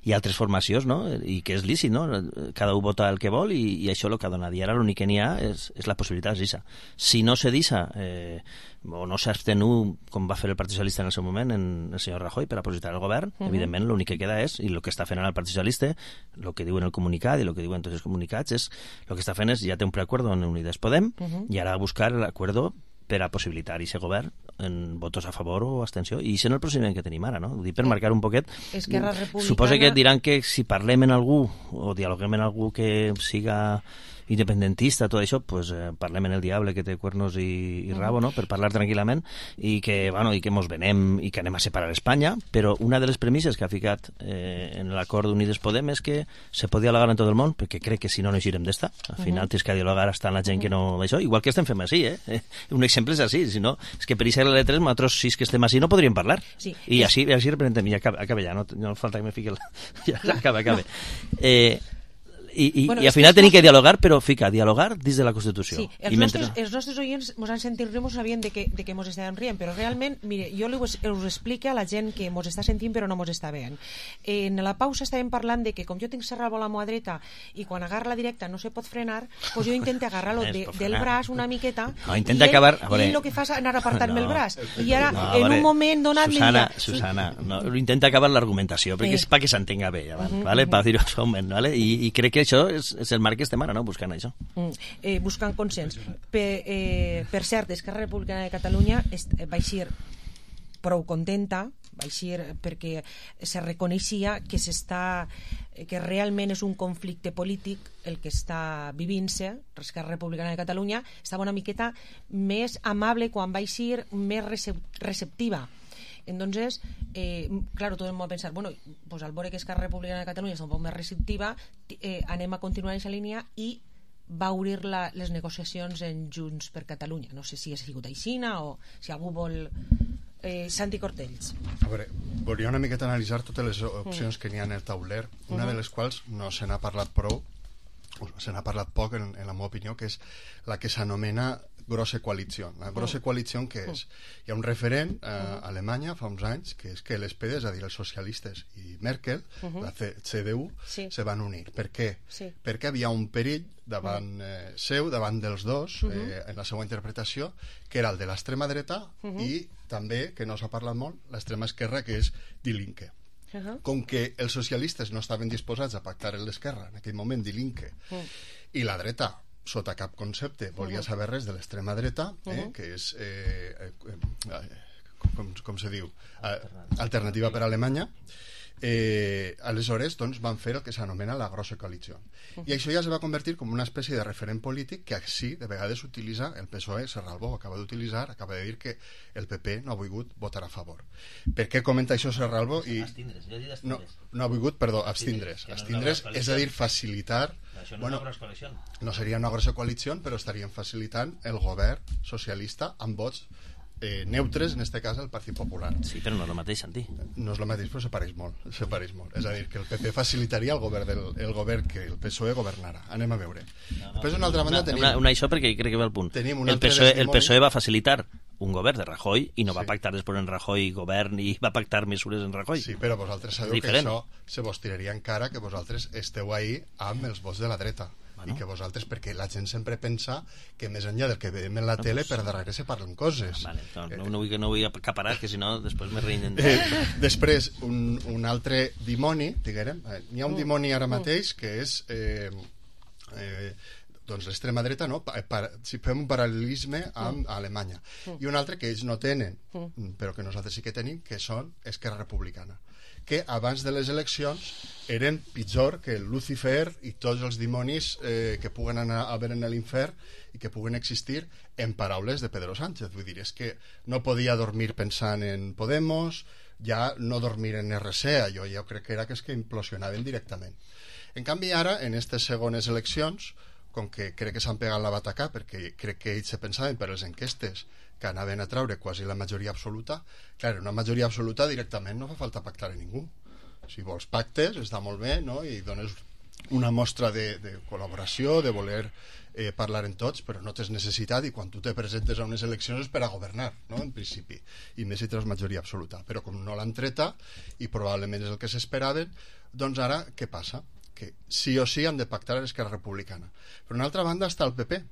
i altres formacions, no? I que és lícit, no? Cada un vota el que vol i, i això el que ha donat, i ara l'únic que n'hi ha és, és la possibilitat d'isa. Si no se deixa eh, o no s'abstenu com va fer el Partit Socialista en el seu moment en el senyor Rajoy per a posibilitar el govern, uh-huh. evidentment l'únic que queda és, i el que està fent ara el Partit Socialista, el que diuen el comunicat i el que diuen tots els comunicats és, el que està fent és, ja té un preacuerdo en Unides Podem uh-huh. i ara buscar l'acuerdo per a possibilitar aquest govern en votos a favor o abstenció, i això és el procediment que tenim ara, no? Ho dic per marcar un poquet. Esquerra Republicana... Suposo que diran que si parlem en algú o dialoguem en algú que siga independentista, tot això, pues, eh, parlem en el diable que té cuernos i, i rabo, no?, per parlar tranquil·lament, i que, bueno, i que mos venem i que anem a separar Espanya, però una de les premisses que ha ficat eh, en l'acord d'Unides Podem és que se pot dialogar en tot el món, perquè crec que si no no eixirem d'esta. Al final uh -huh. tens que dialogar hasta la gent que no... Això, igual que estem fent així, eh? Un exemple és així, si no, és que per això l'L tres, nosaltres sis que estem així no podríem parlar. Sí, I és... així, així representem, i acaba, acaba ja, no, no falta que me fiqui el... Ja, acaba, acaba. Eh... I, i, bueno, i al final tenim que dialogar, però fica, dialogar dins de la Constitució. Sí, els, I mentre... nostres, els nostres oients mos han sentit riure, mos sabien de que, de que mos estàvem rient, però realment, mire, jo us, us explico a la gent que mos està sentint però no mos està veient. En la pausa estàvem parlant de que com jo tinc serrat la mà dreta i quan agarra la directa no se pot frenar, doncs jo intento agarrar-lo de, del braç una miqueta no, intenta i, ell, acabar, veure... i ell el que fa és anar a apartar-me no, el braç. I ara, no, en veure, un moment donat... Susana, Susana, no, intenta acabar l'argumentació, perquè eh. és perquè s'entenga bé, abans, uh -huh, vale? uh -huh. Per dir-ho suaument, vale? I, i crec que això és, és el marc que estem ara, no? Buscant això. Mm, eh, buscant consens. Per, eh, per cert, Esquerra Republicana de Catalunya est, va eixir prou contenta, va eixir perquè se reconeixia que s'està que realment és un conflicte polític el que està vivint-se. Esquerra Republicana de Catalunya estava una miqueta més amable quan va eixir, més receptiva. Entonces, eh, claro, todo el mundo va a pensar, bueno, pues al veure que Esquerra Republicana de Catalunya està un poc més receptiva, eh, anem a continuar en aquesta línia i va obrir la, les negociacions en Junts per Catalunya. No sé si ha sigut aixina o si algú vol... Eh, Santi Cortells. A veure, volia una miqueta analitzar totes les opcions mm. que n'hi ha en el tauler, una mm. de les quals no se n'ha parlat prou, se n'ha parlat poc en, en la meva opinió, que és la que s'anomena grossa coalició. La grossa coalició què és? Hi ha un referent a Alemanya fa uns anys, que és que l'S P D, és a dir, els socialistes i Merkel, la C D U, sí. se van unir. Per què? Sí. Perquè havia un perill davant eh, seu, davant dels dos, eh, en la seva interpretació, que era el de l'extrema dreta i també, que no s'ha parlat molt, l'extrema esquerra, que és Die Linke. Uh -huh. Com que els socialistes no estaven disposats a pactar amb l'esquerra, en aquell moment Die Linke, uh -huh. i la dreta sota cap concepte volia saber res de l'extrema dreta, eh, uh -huh. que és eh, eh, eh, com, com se diu eh, alternativa per a Alemanya, eh, aleshores doncs, van fer el que s'anomena la grossa coalició, uh -huh. i això ja es va convertir com una espècie de referent polític que així de vegades utilitza el P S O E. Serralbó acaba d'utilitzar, acaba de dir que el P P no ha volgut votar a favor. Per què comenta això Serralbó? I no, no ha volgut, perdó, abstindre's abstindre's, és a dir, facilitar. Això no, bueno, és una grossa coalició. No seria una grossa coalició, però estarien facilitant el govern socialista amb vots eh, neutres, en este cas el Partit Popular. Sí, però no és el mateix, Santi. No és el mateix, però se pareix molt, se pareix molt. És a dir, que el P P facilitaria el govern, del, el govern que el P S O E governara. Anem a veure. No, no, Després, d'una altra banda, tenim... Una, una això perquè crec que ve al punt. Tenim un el, P S O E, el P S O E va facilitar un govern de Rajoy i no va sí. pactar després en Rajoy govern i va pactar mesures en Rajoy. Sí, però vosaltres sabeu que això se vos tiraria encara que vosaltres esteu ahí amb els vots de la dreta. Bueno. I que vosaltres, perquè la gent sempre pensa que més enllà del que veiem en la no, tele pues... per darrere se parlen coses. Vale, no, no, no, vull, no vull acaparar, que si no després me reïnen. Eh, després, un, un altre dimoni, diguem, eh, n'hi ha un dimoni ara mateix que és eh, eh, doncs l'extrema dreta, no? Pa, pa, si fem un paral·lelisme amb Alemanya. I un altre que ells no tenen, però que nosaltres sí que tenim, que són Esquerra Republicana, que abans de les eleccions eren pitjor que el Lucifer i tots els dimonis eh, que puguen anar a veure en l'infern i que puguen existir, en paraules de Pedro Sánchez. Vull dir, és que no podia dormir pensant en Podemos, ja no dormir en R C, allò jo crec que era que és que implosionaven directament. En canvi ara, en aquestes segones eleccions, com que crec que s'han pegat la batacà, perquè crec que ells se pensaven per les enquestes que anaven a traure quasi la majoria absoluta, clar, una majoria absoluta directament no fa falta pactar a ningú. Si vols pactes, està molt bé, no? I dones una mostra de, de col·laboració, de voler eh, parlar en tots, però no tens necessitat, i quan tu te presentes a unes eleccions és per a governar, no? En principi, i més si tens majoria absoluta. Però com no l'han treta, i probablement és el que s'esperaven, doncs ara què passa? Que sí o sí han de pactar a l'Esquerra Republicana. Per una altra banda està el P P,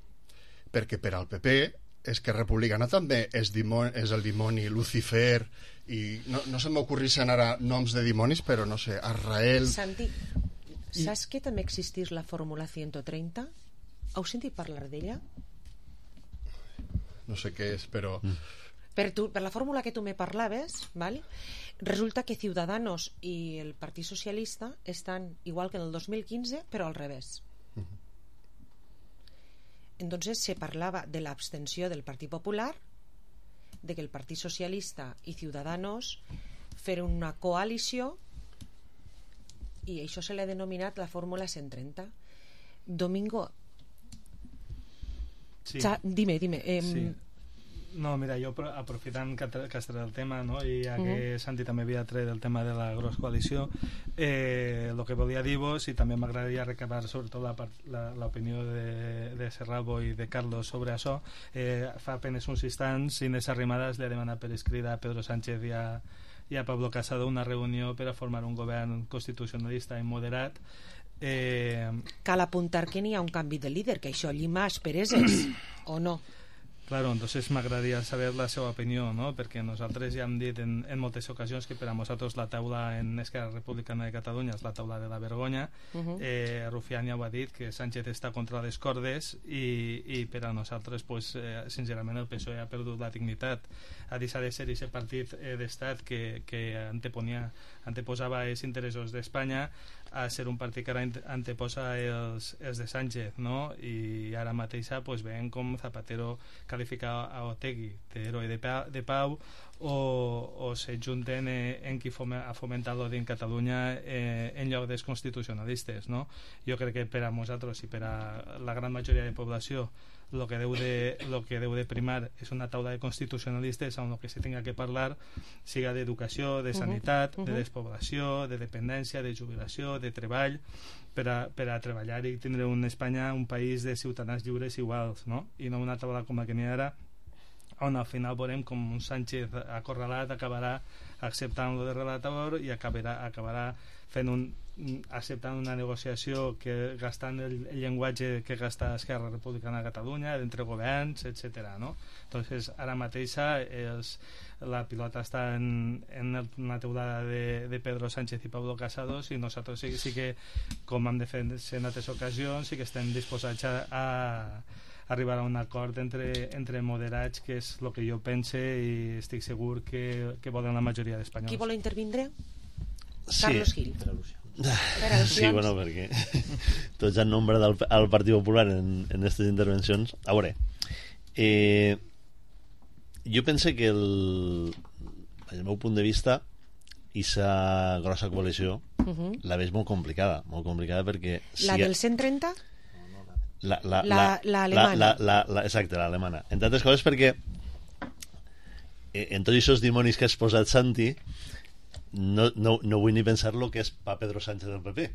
perquè per al P P Esquerra Republicana també és, dimoni, és el dimoni Lucifer, i no, no se m'ocorrissin ara noms de dimonis, però no sé, Azrael... Santi, saps que també existís la fórmula ciento treinta? Heu sentit parlar d'ella? No sé què és, però... Mm. Per, tu, per la fórmula que tu me parlaves, ¿vale? Resulta que Ciudadanos i el Partit Socialista estan igual que en el dos mil quinze, però al revés. entonces se parlava de l'abstenció del Partit Popular, de que el Partit Socialista i Ciudadanos feren una coalició, i això se l'ha denominat la fórmula cent trenta. Domingo, sí. Cha, dime, dime. Eh, sí. No, mira, jo aprofitant que, que has tret el tema, no? I ja que uh-huh. Santi també havia tret el tema de la gros coalició, eh, el que volia dir-vos, i també m'agradaria recabar sobretot l'opinió de, de Serralbo i de Carlos sobre això, eh, fa apenes uns instants Inés Arrimadas li ha demanat per escrit a Pedro Sánchez i a, i a Pablo Casado una reunió per a formar un govern constitucionalista i moderat. Eh... Cal apuntar que n'hi ha un canvi de líder, que això llima aspereses, o no? Claro, entonces m'agradaria saber la seva opinió, no? Perquè nosaltres ja hem dit en, en moltes ocasions que per a nosaltres la taula en Esquerra Republicana de Catalunya és la taula de la vergonya. Uh-huh. eh, Rufián ja ho ha dit, que Sánchez està contra les cordes i, i per a nosaltres, pues, eh, sincerament, el P S O E ha perdut la dignitat. Ha deixat de ser aquest partit eh, d'estat que, que anteponia, anteposava els interessos d'Espanya a ser un partit que ara anteposa els, els de Sánchez, no? I ara mateixa pues, veiem com Zapatero qualifica a Otegi d'heroi de, pa, de pau o, o se junten eh, en qui fome, ha fomentat l'odi en Catalunya eh, en lloc dels constitucionalistes, no? Jo crec que per a nosaltres i per a la gran majoria de població lo que deu de, lo que deu de primar és una taula de constitucionalistes on el que se tenga que parlar siga d'educació, de sanitat, uh-huh. Uh-huh. de despoblació, de dependència, de jubilació, de treball, per a, per a treballar i tindre una Espanya, un país de ciutadans lliures iguals, no? I no una taula com la que n'hi ha ara, on al final veurem com un Sánchez acorralat acabarà acceptant lo de relator i acabarà, acabarà fent un acceptant una negociació que gastant el, el llenguatge que gasta Esquerra Republicana de Catalunya entre governs, etcètera, no? Entonces ara mateixa els, la pilota està en, en una teulada de, de Pedro Sánchez i Pablo Casado i nosaltres sí, sí que, com hem de fer en altres ocasions, sí que estem disposats a, a arribar a un acord entre, entre moderats, que és el que jo pense i estic segur que, que volen la majoria d'espanyols. Qui vol intervindre? Sí. Carlos Gil. Sí, bueno, perquè tots han nombrat al, al Partit Popular en aquestes intervencions. A veure, eh, jo pense que el, el meu punt de vista aquesta grossa coalició uh-huh. la veig molt complicada, molt complicada perquè si la del cent trenta? La, la, la, la, la alemana. La, la, la, exacte, l'alemana. Entre altres coses perquè eh, en tots aquests dimonis que has posat, Santi, no, no, no vull ni pensar lo que és pa Pedro Sánchez del P P,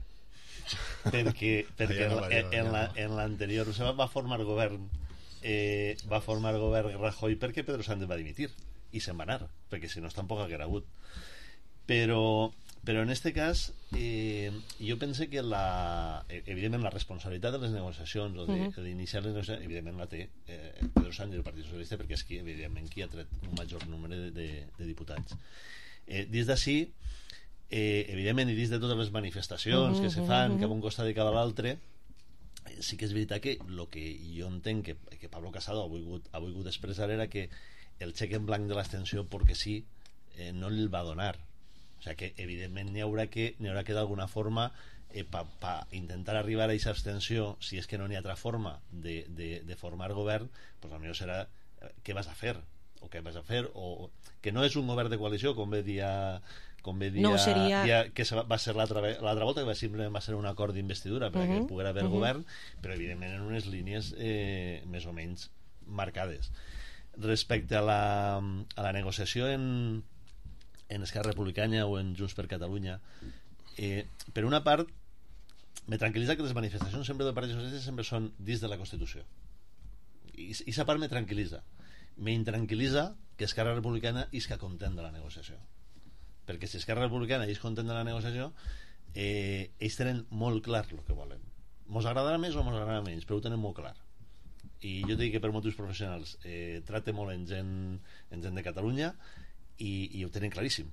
perquè, perquè no, en, en, la, en l'anterior va formar govern eh, va formar govern Rajoy perquè Pedro Sánchez va dimitir i se'n va anar, perquè si no tampoc haguera hagut. Però però en este cas eh, jo pense que la, evidentment la responsabilitat de les negociacions o d'iniciar les negociacions evidentment la té eh, Pedro Sánchez del Partit Socialista, perquè és qui, evidentment, qui ha tret un major nombre de, de, de diputats. Eh, des d'ací eh, evidentment, i dins de totes les manifestacions uh-huh, que se fan uh-huh. cap a un costat i cap a l'altre, eh, sí que és veritat que el que jo entenc que, que Pablo Casado ha volgut, ha volgut expressar era que el xec en blanc de l'abstenció perquè sí eh, no el va donar. O sigui que evidentment n'hi haurà que, n'hi haurà que d'alguna forma eh, per pa intentar arribar a aquesta abstenció, si és que no n'hi ha altra forma de, de, de formar govern, pues potser serà eh, què vas a fer o què vas a fer, o que no és un govern de coalició, com ve dir com ve dir no, seria... dia, que va ser l'altra volta, que va, simplement va ser un acord d'investidura perquè uh-huh, poguera haver uh-huh. govern, però evidentment en unes línies eh, més o menys marcades. Respecte a la, a la negociació en en Esquerra Republicana o en Junts per Catalunya, eh, per una part me tranquil·litza que les manifestacions sempre del Partit Socialista sempre són dins de la Constitució, i aquesta part me tranquil·litza. Me intranquil·litza que Esquerra Republicana isca content de la negociació, perquè si Esquerra Republicana és content de la negociació, eh, ells tenen molt clar el que volen. Mos agradarà més o mos agradarà menys, però ho tenen molt clar, i jo dic que per motius professionals eh, trate molt en gent, en gent de Catalunya i, i ho tenen claríssim.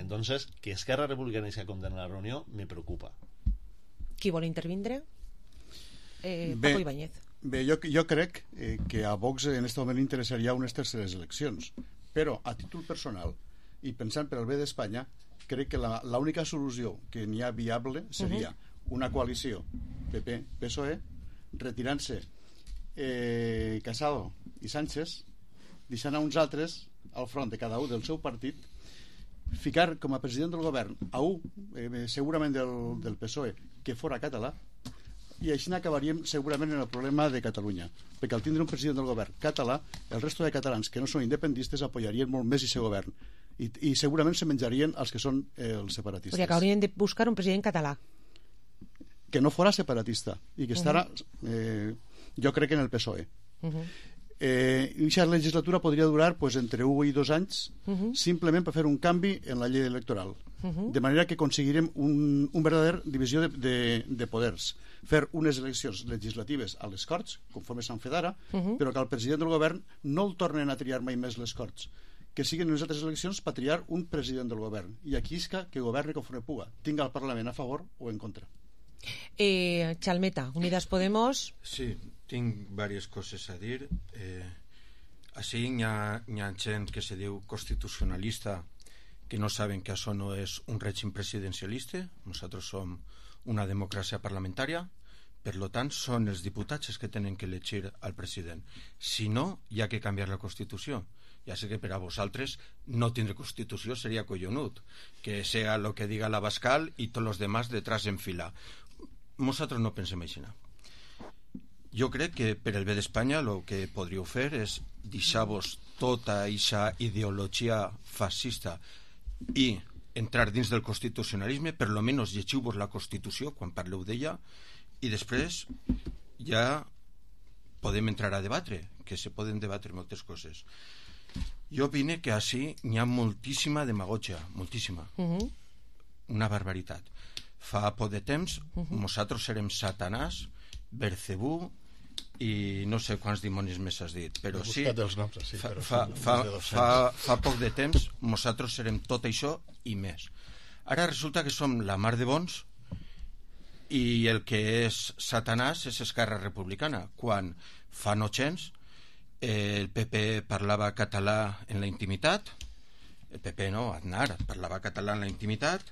Entonces, que Esquerra Republicana isca content en la reunió me preocupa. Qui vol intervindre? Eh, bé, Paco Ibáñez. Bé, jo, jo crec eh, que a Vox en aquest moment interessaria unes terceres eleccions, però a títol personal i pensant per al bé d'Espanya, crec que l'única solució que n'hi ha viable seria uh-huh. una coalició P P P S O E retirant-se eh, Casado i Sánchez, deixant a uns altres al front de cada un del seu partit, ficar com a president del govern a un, eh, segurament del, del P S O E, que fora català, i així acabaríem segurament en el problema de Catalunya, perquè al tindre un president del govern català, el resto de catalans que no són independistes apoyarien molt més aquest govern, i, i segurament se menjarien els que són eh, els separatistes. O sigui que haurien de buscar un president català que no fora separatista i que estarà, eh, jo crec que en el P S O E. Uh-huh. Eh, i aquesta legislatura podria durar pues, entre un i dos anys, uh-huh, simplement per fer un canvi en la llei electoral, uh-huh, de manera que aconseguirem un, un verdader divisió de, de, de poders, fer unes eleccions legislatives a les Corts, conforme s'han fet ara, uh-huh, però que el president del govern no el tornen a triar mai més les Corts, que siguin unes altres eleccions per triar un president del govern, i aquí és que, que governi conforme puga, tinga el Parlament a favor o en contra. Eh, Chalmeta, Unidas Podemos. Sí, tinc diverses coses a dir. Eh, així hi ha, hi ha gent que se diu constitucionalista que no saben que això no és un règim presidencialista. Nosaltres som una democràcia parlamentària, per tant són els diputats els que tenen que elegir al president. Si no, hi ha que canviar la Constitució. Ja sé que per a vosaltres no tindre Constitució seria collonut, que sea lo que diga la Bascal i tots els demás detrás en fila. Nosaltres no pensem així. Jo crec que per el bé d'Espanya el que podríeu fer és deixar-vos tota aquesta ideologia fascista i entrar dins del constitucionalisme, per lo menos llegiu-vos la Constitució quan parleu d'ella, i després ja podem entrar a debatre, que se poden debatre moltes coses. Jo opine que així n'hi ha moltíssima demagogia, moltíssima, uh-huh, una barbaritat. Fa poc de temps, uh-huh, nosaltres serem Satanàs, Belcebú i no sé quants dimonis més has dit, però sí, noms, sí fa, però fa, fa, fa, fa poc de temps nosaltres serem tot això i més. Ara resulta que som la mar de bons i el que és Satanàs és Esquerra Republicana, quan fa no gens el P P parlava català en la intimitat, el P P no, Aznar parlava català en la intimitat,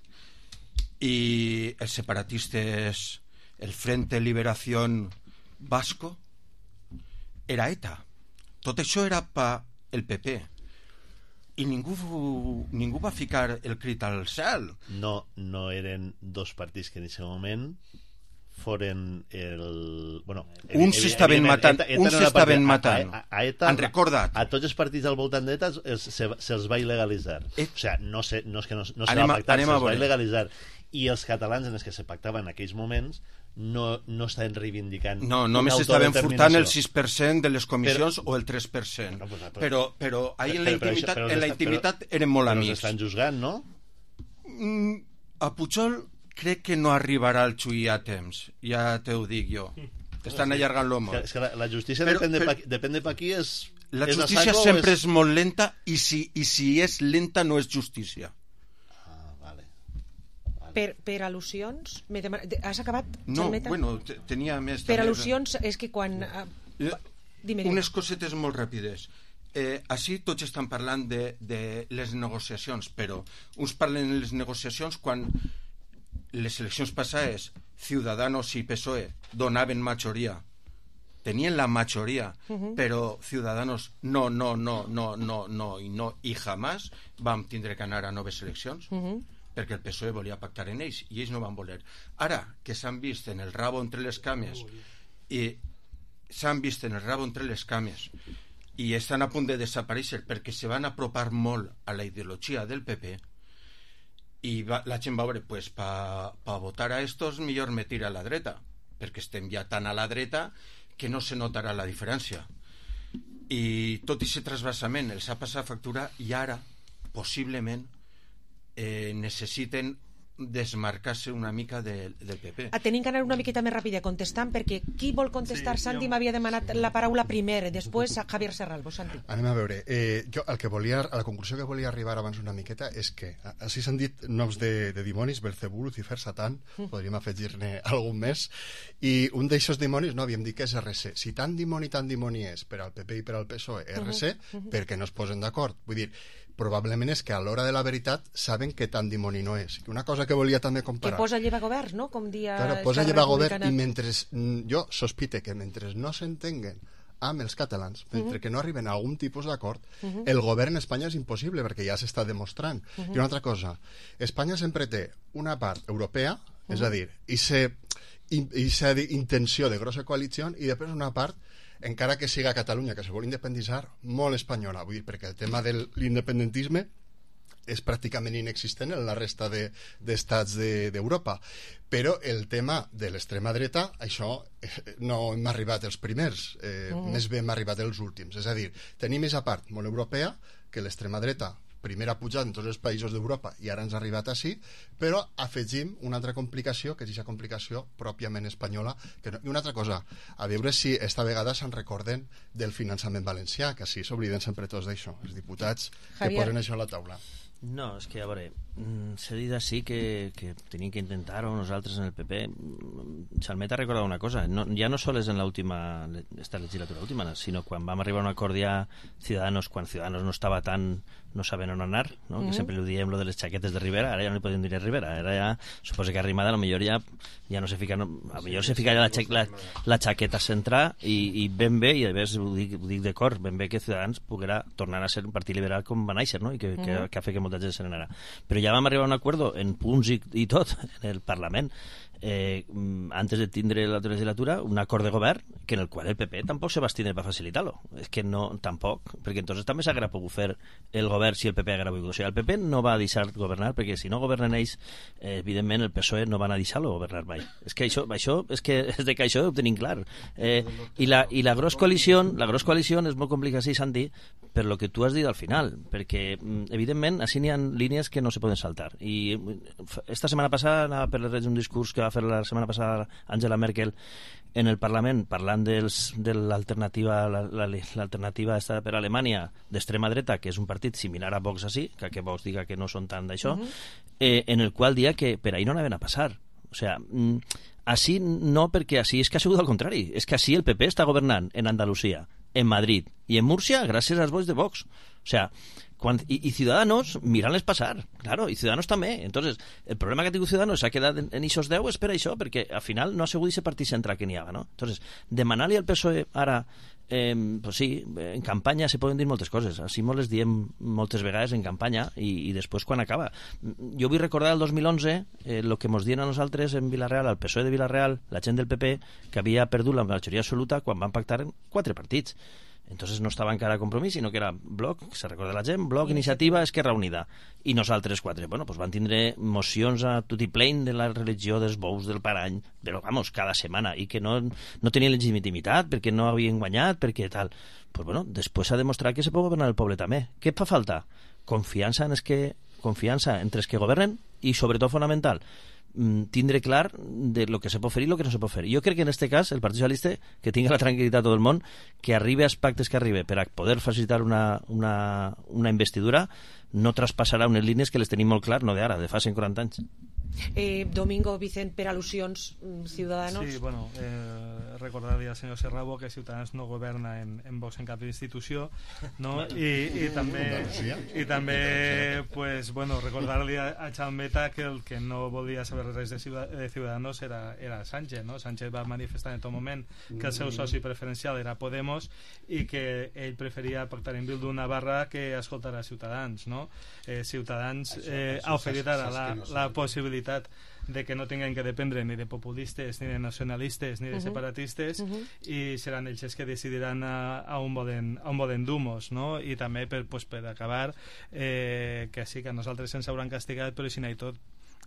i els separatistes, el Frente Liberación Vasco, era ETA. Tot això era per el P P. I ningú, ningú va ficar el crit al cel. No, no eren dos partits que en aquest moment foren el... Bueno, uns s'estaven matant, ETA, ETA uns s'estaven matant. A, a, a ETA, han recordat. A tots els partits al voltant d'ETA se'ls se, se va il·legalitzar. Et... O sigui, no, sé, no és que no, no se va pactar, se'ls va il·legalitzar. I els catalans en els que se pactaven en aquells moments no, no estaven reivindicant... No, només estaven furtant el sis per cent de les comissions però, o el tres per cent. No, pues, però, però, però ahí en la intimitat, però, però, en la intimitat però, eren molt però amics. Però estan juzgant, no? Mm, a Pujol crec que no arribarà al xuí a temps, ja te ho dic jo. Estan allargant-lo molt. És que la, la justícia però, depèn, de però, pa, depèn de pa qui és... La és justícia sempre és... és molt lenta i si, i si és lenta no és justícia. Per, per al·lusions... Demana... Has acabat, No, Xalmeta? bueno, tenia més... Per al·lusions és que quan... Uh, dime, dime. Unes cosetes molt ràpides. Eh, així tots estan parlant de, de les negociacions, però uns parlen de les negociacions quan les eleccions passades Ciudadanos i P S O E donaven majoria. Tenien la majoria, uh-huh, però Ciudadanos no, no, no, no, no, no, i no, i jamás vam tindre que anar a noves eleccions. Uh-huh. Perquè el P S O E volia pactar en ells i ells no van voler. Ara que s'han vist en el rabo entre les cames i s'han vist en el rabo entre les cames i estan a punt de desaparèixer perquè se van apropar molt a la ideologia del P P i va, la gent va veure pues, per pa votar a estos millor me tira a la dreta perquè estem ja tan a la dreta que no se notarà la diferència i tot aquest trasbassament els ha passat factura i ara possiblement Eh, necessiten desmarcar-se una mica de, del P P. Ah, tenim que anar una miqueta més ràpida contestant perquè qui vol contestar? Sí, Santi jo... m'havia demanat la paraula primer, després a Javier Serralbo. Santi. Anem a veure, eh, jo el que volia, a la conclusió que volia arribar abans una miqueta és que, així s'han dit noms de, de dimonis, Belcebú, Lucifer, Satan, mm. podríem afegir-ne algun més, i un d'aixòs dimonis, no, havíem dit que és R C. Si tant dimoni, tant dimoni és per al P P i per al P S O E, R C, mm-hmm. per què no es posen d'acord? Vull dir, probablement és que a l'hora de la veritat saben que tant dimoni no és. Una cosa que volia també comparar... Que posa lleva govern, no? Com dia... Claro, posa lleva govern i mentre... Jo sospite que mentre no s'entenguen amb els catalans. Mentre Mhm. que no arriben a algun tipus d'acord, Mhm. el govern a Espanya és impossible, perquè ja s'està demostrant. Mhm. I una altra cosa, Espanya sempre té una part europea, és Mhm. a dir, i se i sa intenció de grossa coalició, i després una part, encara que siga Catalunya, que se vol independitzar, molt espanyola. Vull dir, perquè el tema de l'independentisme és pràcticament inexistent en la resta d'estats de, d'Europa. Però el tema de l'extrema dreta, això eh, no hem arribat els primers, eh, Mhm. més bé hem arribat els últims. És a dir, tenim més a part molt europea, que l'extrema dreta primer ha pujat en tots els països d'Europa i ara ens ha arribat així, però afegim una altra complicació, que és aquesta complicació pròpiament espanyola. Que no... I una altra cosa, a veure si esta vegada se'n recorden del finançament valencià, que així s'obliden sempre tots d'això, els diputats que Javier. posen això a la taula. No, és que, a veure, mm, s'ha dit així que, que tenim que intentar-ho nosaltres en el P P. Mm, Xalmet ha recordat una cosa, no, ja no sols en l'última, esta legislatura última, sinó quan vam arribar a un acord ja Ciudadanos, quan Ciudadanos no estava tan, no saben on anar, no? Mhm. Que sempre li diem lo de les xaquetes de Rivera, ara ja no li podem dir a Rivera, ara ja, suposo que Arrimada a lo millor ja, ja no se fica, no, a lo millor se fica ja la, xa, la, la xaqueta central i, i ben bé, i a més ho dic, ho dic d'acord, ben bé que Ciutadans poguera tornar a ser un partit liberal com va néixer, no? I que, que, Mhm. que ha fet que molta gent se n'anara. Però ja vam arribar a un acord en punts i, i tot en el Parlament eh, antes de tindre la legislatura un acord de govern que en el qual el P P tampoc se va abstindre per facilitar-lo. És que no, tampoc, perquè entonces també s'haguera pogut fer el govern si el P P haguera volgut. O sigui, el P P no va deixar governar, perquè si no governen ells, eh, evidentment el P S O E no van a deixar-lo governar mai. És que això, això és, que, és de que això ho tenim clar. Eh, i, la, I la gros coalició, la gros coalició és molt complicat, sí, Santi, per lo que tu has dit al final, perquè evidentment així n'hi ha línies que no se poden saltar. I esta setmana passada anava per les redes un discurs que va fer la setmana passada Angela Merkel en el Parlament parlant dels, de l'alternativa la, la, l'alternativa esta per a Alemanya d'extrema dreta, que és un partit similar a Vox així, que, que Vox diga que no són tant d'això, Mhm. eh, en el qual dia que per ahí no anaven a passar. O sea, mm, així no, perquè així és que ha sigut al contrari, és que així el P P està governant en Andalusia, en Madrid i en Múrcia gràcies als vots de Vox. O sea, quan, y, y Ciudadanos mirant-les passar, claro, i Ciudadanos també. Entonces, el problema que ha tingut Ciudadanos s'ha quedat en, en ixos deu és per això, perquè al final no ha sigut aquest partit central que n'hi havia, no? Entonces, demanar-li al P S O E ara Eh, pues sí, en campanya se poden dir moltes coses, així molt les diem moltes vegades en campanya i, i després quan acaba. Jo vull recordar el dos mil onze eh, el que ens dien a nosaltres en Vilareal, al P S O E de Vilareal, la gent del P P, que havia perdut la majoria absoluta quan van pactar en quatre partits. Entonces no estava encara a Compromís, sinó que era Bloc, se recorda la gent, Bloc, Iniciativa, Esquerra Unida. I nosaltres quatre. Bueno, pues van tindre mocions a tutiplén de la religió dels bous del parany, però, vamos, cada setmana, i que no, no tenien legitimitat perquè no havien guanyat, perquè tal. Pues bueno, després s'ha demostrat que se pot governar el poble també. Què fa falta? Confiança en els que, confiança entre els que governen i, sobretot, fonamental, tindre clar de lo que se pot fer i lo que no se pot fer. Jo crec que en este cas el Partit Socialista, que tingui la tranquil·litat tot el món, que arribi als pactes que arribi per a poder facilitar una, una, una investidura, no traspassarà unes línies que les tenim molt clar, no d'ara, de fa cent quaranta anys. Eh, Domingo, Vicent, per al·lusions, Ciudadanos. Sí, bueno, eh, recordar-li al senyor Serrabo que Ciutadans no governa en, en Vox en cap institució, no? I, i també, i també pues, bueno, recordar-li a, a Chalmeta que el que no volia saber res de, de Ciudadanos era, era Sánchez, no? Sánchez va manifestar en tot moment que el seu soci preferencial era Podemos i que ell preferia pactar en Bildu Navarra que escoltar a Ciutadans, no? Eh, Ciutadans eh, ha oferit ara la, la possibilitat de que no tinguin que dependre ni de populistes, ni de nacionalistes, ni de separatistes, uh -huh. i seran ells els que decidiran a, a, on volen, a on volen dur-nos, no? I també per, pues, per acabar eh, que sí, que a nosaltres ens hauran castigat, però si no hi tot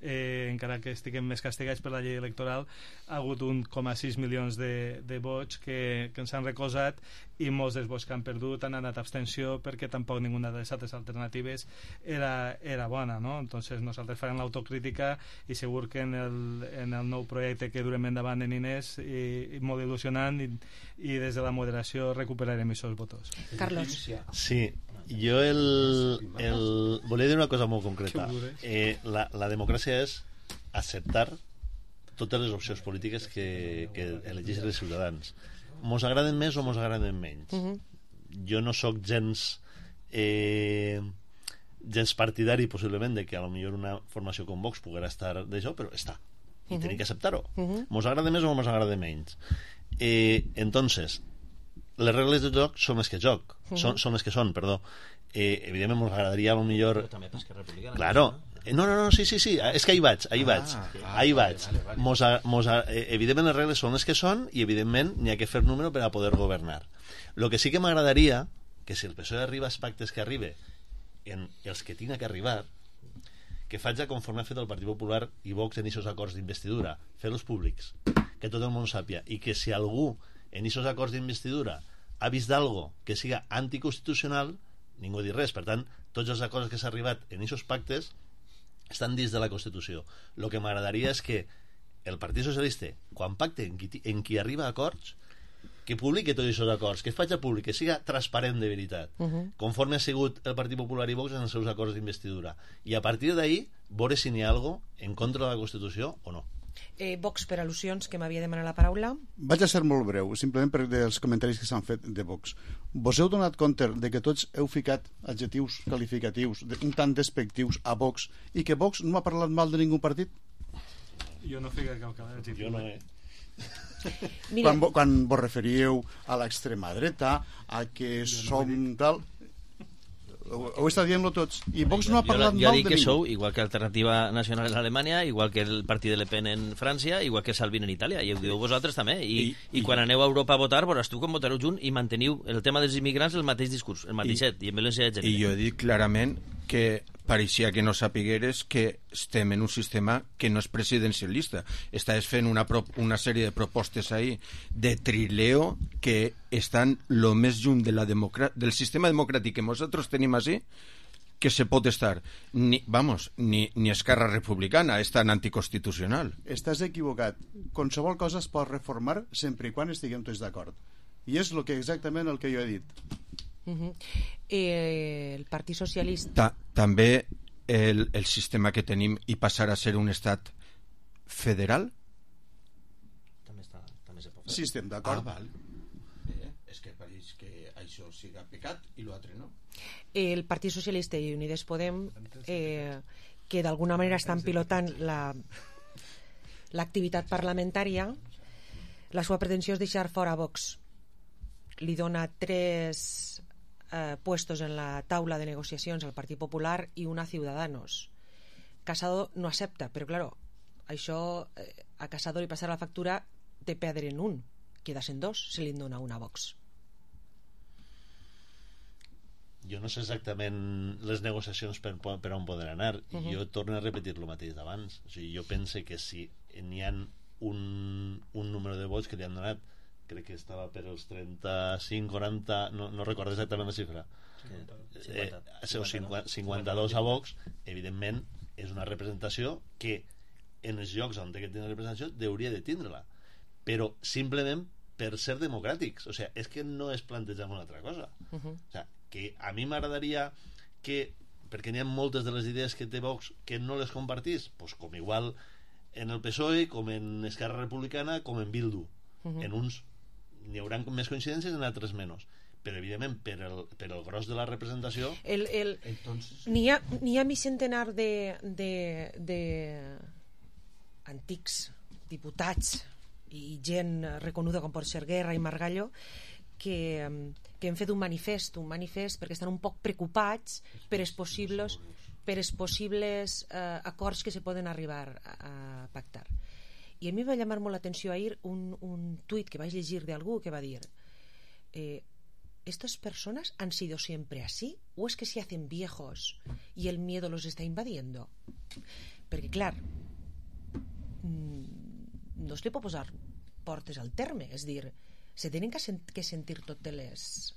eh, encara que estiguem més castigats per la llei electoral, ha hagut un coma sis milions de, de vots que, que ens han recolzat i molts dels vots que han perdut han anat a abstenció perquè tampoc ninguna de les altres alternatives era, era bona, no? Entonces nosaltres farem l'autocrítica i segur que en el, en el nou projecte que durem endavant en Inés i, i molt il·lusionant i, i des de la moderació recuperarem aquests votos. Carlos. Sí, jo el, el... volia dir una cosa molt concreta. Eh, la, la democràcia és acceptar totes les opcions polítiques que, que elegeixen els ciutadans. Mos agraden més o mos agraden menys. Uh -huh. Jo no sóc gens eh, gens partidari possiblement de que a lo millor una formació com Vox poguera estar d'això, però està. I uh -huh. tenim que acceptar-ho. Uh -huh. Mos agrada més o mos agrada menys. Eh, entonces, les regles de joc són les que joc, uh -huh. són, són les que són, perdó. Eh, evidentment m'agradaria a lo millor... Però també per Esquerra Republicana. Claro. No, no, no, sí, sí, sí, és que ahí vaig, ahí vaig, Ah, ah, ahí vale, vaig. vale, vale. Mos a, mos a, eh, evidentment les regles són les que són i evidentment n'hi ha que fer número per a poder governar. Lo que sí que m'agradaria, que si el P S O E arriba als pactes que arribe en els que tinga que arribar, que faig conforme ha fet el Partit Popular i Vox en aquests acords d'investidura, fer-los públics, que tot el món sàpia, i que si algú en aquests acords d'investidura ha vist algo que siga anticonstitucional, ningú dir res. Per tant, tots els acords que s'ha arribat en aquests pactes estan dins de la Constitució. El que m'agradaria és que el Partit Socialista, quan pacte en qui, en qui arriba a acords, que publiqui tots aquests acords, que es faci públic, que siga transparent de veritat, Uh -huh. conforme ha sigut el Partit Popular i Vox en els seus acords d'investidura. I a partir d'ahí, veure si n'hi ha alguna cosa en contra de la Constitució o no. Eh, Vox, per al·lusions, que m'havia demanat la paraula. Vaig a ser molt breu, simplement per dels comentaris que s'han fet de Vox. Vos heu donat compte de que tots heu ficat adjectius qualificatius de, un tant despectius a Vox i que Vox no ha parlat mal de ningú partit? Jo no fico cap adjectiu. Jo no he... Mira. Quan, quan vos referíeu a l'extrema dreta, a que som tal... Ho, ho està dient-lo tots. I Vox no ha parlat jo, jo mal dic de que ningú. sou igual que Alternativa Nacional en Alemanya, igual que el partit de Le Pen en França, igual que Salvini en Itàlia, i ho diu vosaltres també. I, I, i, i quan aneu a Europa a votar, veuràs tu com votareu junt i manteniu el tema dels immigrants el mateix discurs, el mateixet, i, i en violència de gènere. I jo he dit clarament que pareixia que no sapigueres que estem en un sistema que no és presidencialista. Estàs fent una, pro, una sèrie de propostes ahí de trileo que estan lo més lluny de la del sistema democràtic que nosaltres tenim així que se pot estar. Ni, vamos, ni, ni Esquerra Republicana és tan anticonstitucional. Estàs equivocat. Qualsevol cosa es pot reformar sempre i quan estiguem tots d'acord. I és el que exactament el que jo he dit. Uh -huh. eh, el Partit Socialista... Ta, també el, el sistema que tenim i passar a ser un estat federal? També, està, també se pot fer. Sí, estem d'acord. Ah, val. Bé, és que pareix que això siga pecat i l'altre no. El Partit Socialista i Unides Podem, eh, que d'alguna manera estan pilotant la l'activitat parlamentària, la seva pretensió és deixar fora Vox. Li dona tres eh, puestos en la taula de negociacions al Partit Popular i una a Ciudadanos. Casado no accepta, però claro, això eh, a Casado li passarà la factura de perdre en un, quedasen dos, se li dona una a Vox. Jo no sé exactament les negociacions per, per on poden anar, i uh -huh. jo torno a repetir el mateix d'abans. O sigui, jo pense que si n'hi ha un, un número de vots que li han donat, crec que estava per els trenta-cinc, quaranta, no, no recordo exactament la xifra, cinquanta, eh, cinquanta, cinquanta-dos a Vox, evidentment és una representació que en els llocs on té que tenir representació deuria de tindre-la, però simplement per ser democràtics. O sigui, és que no es planteja una altra cosa. Uh -huh. O sigui, que a mi m'agradaria que, perquè n'hi ha moltes de les idees que té Vox que no les compartís, pues com igual en el P S O E, com en Esquerra Republicana, com en Bildu. Uh -huh. En uns n'hi haurà més coincidències, en altres menys, però evidentment per el, per el gros de la representació el, el, entonces... n'hi ha, n'hi ha mi centenar de, de, de antics diputats i gent reconeguda com pot ser Guerra i Margallo que, que hem fet un manifest un manifest perquè estan un poc preocupats per els possibles per els possibles eh, acords que se poden arribar a, a pactar. I a mi va llamar molt l'atenció ahir un, un tuit que vaig llegir d'algú que va dir eh, ¿estas personas han sido siempre así o es que se hacen viejos y el miedo los está invadiendo? Perquè clar, no es li pot posar portes al terme, és dir, se tenen que, sent, que sentir totes les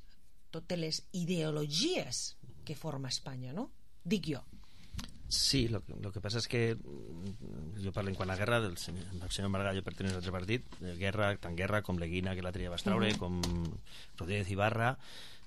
totes les ideologies que forma Espanya, no? Dic jo. Sí, lo, lo que passa és que jo parlo en quant a Guerra del senyor, del senyor Margallo perteneix a l'altre partit, Guerra, tant Guerra com Leguina, que l'altre dia vas traure, uh -huh. com Rodríguez Ibarra,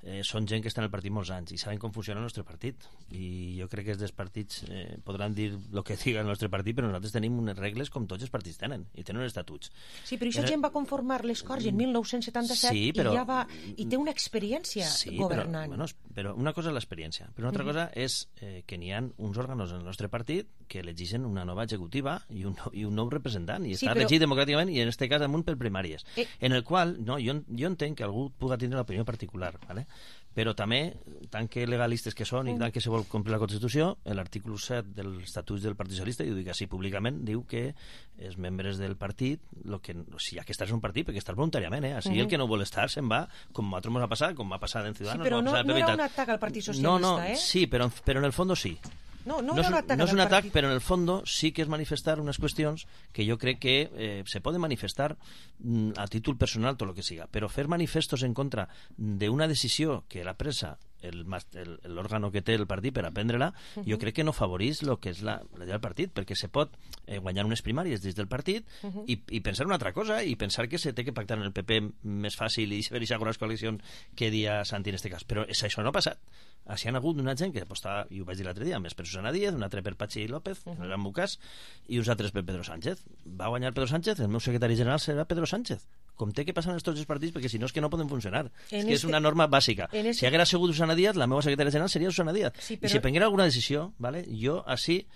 eh, són gent que està en el partit molts anys i saben com funciona el nostre partit, i jo crec que els dels partits eh, podran dir el que diga el nostre partit, però nosaltres tenim unes regles com tots els partits tenen, i tenen uns estatuts. Sí, però aquesta gent va conformar les Corts en mil nou-cents setanta-set sí, però... i ja va... i té una experiència sí, governant. Però, bueno, però una cosa és l'experiència, però una altra cosa és eh, que n'hi ha uns òrgans en el nostre partit que elegeixen una nova executiva i un, i un nou representant, i sí, està però... regit democràticament, i en aquest cas amunt per primàries, eh... en el qual no, jo, jo entenc que algú pugui tindre una opinió particular, ¿vale? Però també, tant que legalistes que són i tant que se vol complir la Constitució, l'article set dels Estatuts del Partit Socialista, i ho dic així públicament, diu que els membres del partit, lo que, si hi ha que estar en un partit, perquè estàs voluntàriament, eh? Així uh -huh. el que no vol estar se'n va, com a nosaltres ens ha passat, com va passar en Ciudadanos. Sí, però no, no era un atac al Partit Socialista, no, no, eh? Sí, però, però en el fondo sí. No, no, no, és, un, un no és un atac, però en el fondo sí que és manifestar unes qüestions que jo crec que eh, se poden manifestar mm, a títol personal, tot el que siga, però fer manifestos en contra d'una decisió que l'ha presa l'òrgano que té el partit per aprendre-la, uh -huh. jo crec que no favorís el que és la, la del partit, perquè se pot eh, guanyar unes primàries des del partit uh -huh. i, i pensar una altra cosa, i pensar que se té que pactar en el P P més fàcil i fer aquestes algunes coalicions que dia Santi en aquest cas, però això no ha passat. Així han hagut una gent que apostava, i ho vaig dir l'altre dia, més per Susana Díaz, un altre per Patxi López, uh -huh. en el meu cas, i uns altres per Pedro Sánchez. Va guanyar Pedro Sánchez, el meu secretari general serà Pedro Sánchez. Com té que passar en tots els partits, perquè si no és que no poden funcionar. En és que este... és una norma bàsica. Este... Si haguera sigut Susana Díaz, la meva secretària general seria Susana Díaz. Sí, però... I si prenguera alguna decisió, ¿vale? Jo així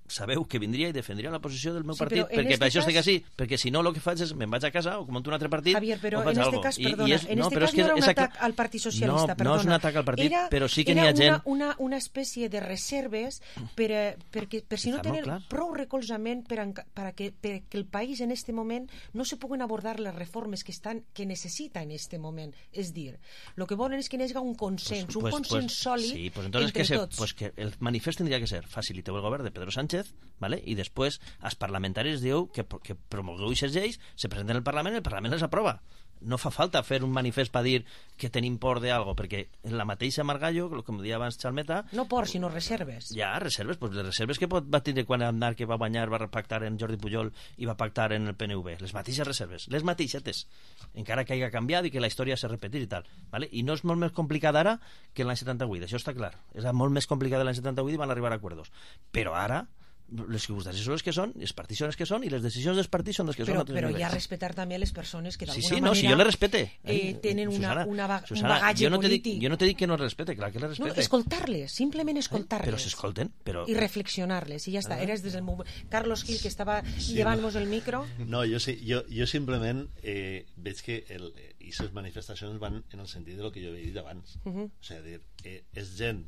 sabeu que vindria i defendria la posició del meu sí, partit, perquè per això cas... estic així, perquè si no el que faig és me'n vaig a casa o monto un altre partit. Javier, però o faig en algo. este cas, perdona, I, i és, en no, este però cas és que no era un és atac al Partit Socialista, no, perdona. No és un atac al partit, era, però sí que n'hi ha gent... Era una, una espècie de reserves per, perquè, per si no tenen prou recolzament per, per, que, per que el país en este moment no se puguen abordar les reformes que, estan, que necessita en este moment. És dir, el que volen és que hi hagi un consens, pues, un pues, consens pues, sòlid sí, pues entonces entre que se, tots. Pues que el manifest tindria que ser faciliteu el govern de Pedro Sánchez, ¿vale? I després els parlamentaris diu que, que promogueu aquestes lleis, se presenten al Parlament i el Parlament les aprova. No fa falta fer un manifest per dir que tenim por de algo, perquè en la mateixa Margallo, com deia abans Xalmeta... No por, sinó reserves. Ja, reserves, pues les reserves que pot, va tindre quan Aznar, que va guanyar, va pactar en Jordi Pujol i va pactar en el P N V. Les mateixes reserves, les mateixetes, encara que hagi canviat i que la història s'ha repetit i tal. ¿Vale? I no és molt més complicat ara que l'any setanta-vuit, això està clar. És molt més complicat l'any setanta-vuit i van arribar a acords. Però ara... les circumstàncies són les que són, els partits són els que són i les decisions dels partits són les que però, són. Però hi ha respetar també les persones que d'alguna sí, sí, manera no, si jo les respete. Eh, tenen Susana, una, una, Susana, un bagatge jo no polític. Dic, jo no te dic que no les respete, clar que les respete. No, escoltar-les, simplement escoltar-les. Eh? Però s'escolten. Però... I reflexionar-les, i ja està. Ah. Eres des del moment... Carlos Gil, que estava sí, llevant-nos no. el micro. No, jo, sí, jo, jo simplement eh, veig que el, i les manifestacions van en el sentit de lo que jo havia dit abans. Uh -huh. O sigui, dir, eh, és gent,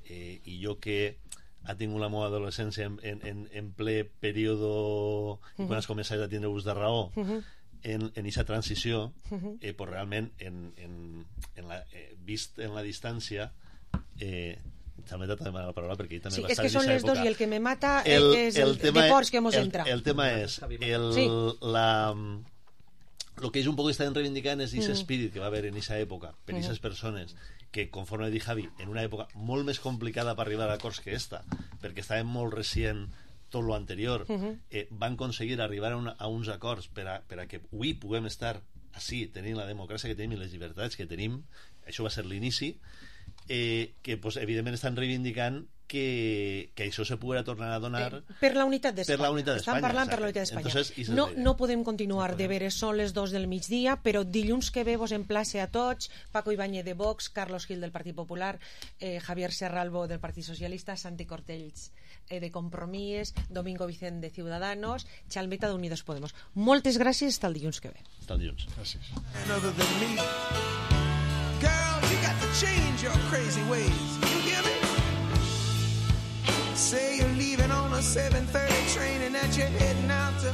eh, i jo que ha tingut la meva adolescència en, en, en ple període uh -huh. quan has començat a tindre ús de raó uh -huh. en aquesta transició uh -huh. eh, pues realment en, en, en la, eh, vist en la distància eh, també t'ha demanat la paraula perquè ell també sí, va és estar que en són les època. dos i el que me mata el, és el, el deports que hemos el, entrado el tema és el, sí. la el que ells un poc estan reivindicant és aquest mm. espírit que va haver en aquesta època per aquestes mm. persones que, conforme dit Javi, en una època molt més complicada per arribar a acords que esta, perquè estàvem molt recient tot lo anterior, uh-huh. eh, van aconseguir arribar a, una, a uns acords per a, per a que avui puguem estar així, tenint la democràcia que tenim i les llibertats que tenim. Això va ser l'inici, eh, que pues, evidentment estan reivindicant que, que això se poguera tornar a donar eh, per la unitat d'Espanya. Per la unitat d'Espanya. Estan parlant exacte. Per la unitat d'Espanya. Entonces, no, no podem continuar no podem. de veure, són les dos del migdia, però dilluns que ve vos emplace a tots, Paco Ibáñez de Vox, Carlos Gil del Partit Popular, eh, Javier Serralbo del Partit Socialista, Santi Cortells eh, de Compromís, Domingo Vicent de Ciudadanos, Xalmeta d'Unidos Podemos. Moltes gràcies, fins el dilluns que ve. Fins el dilluns. Gràcies. Girl, you got to change your crazy ways. You hear me? Say you're leaving on a seven thirty train and that you're heading out to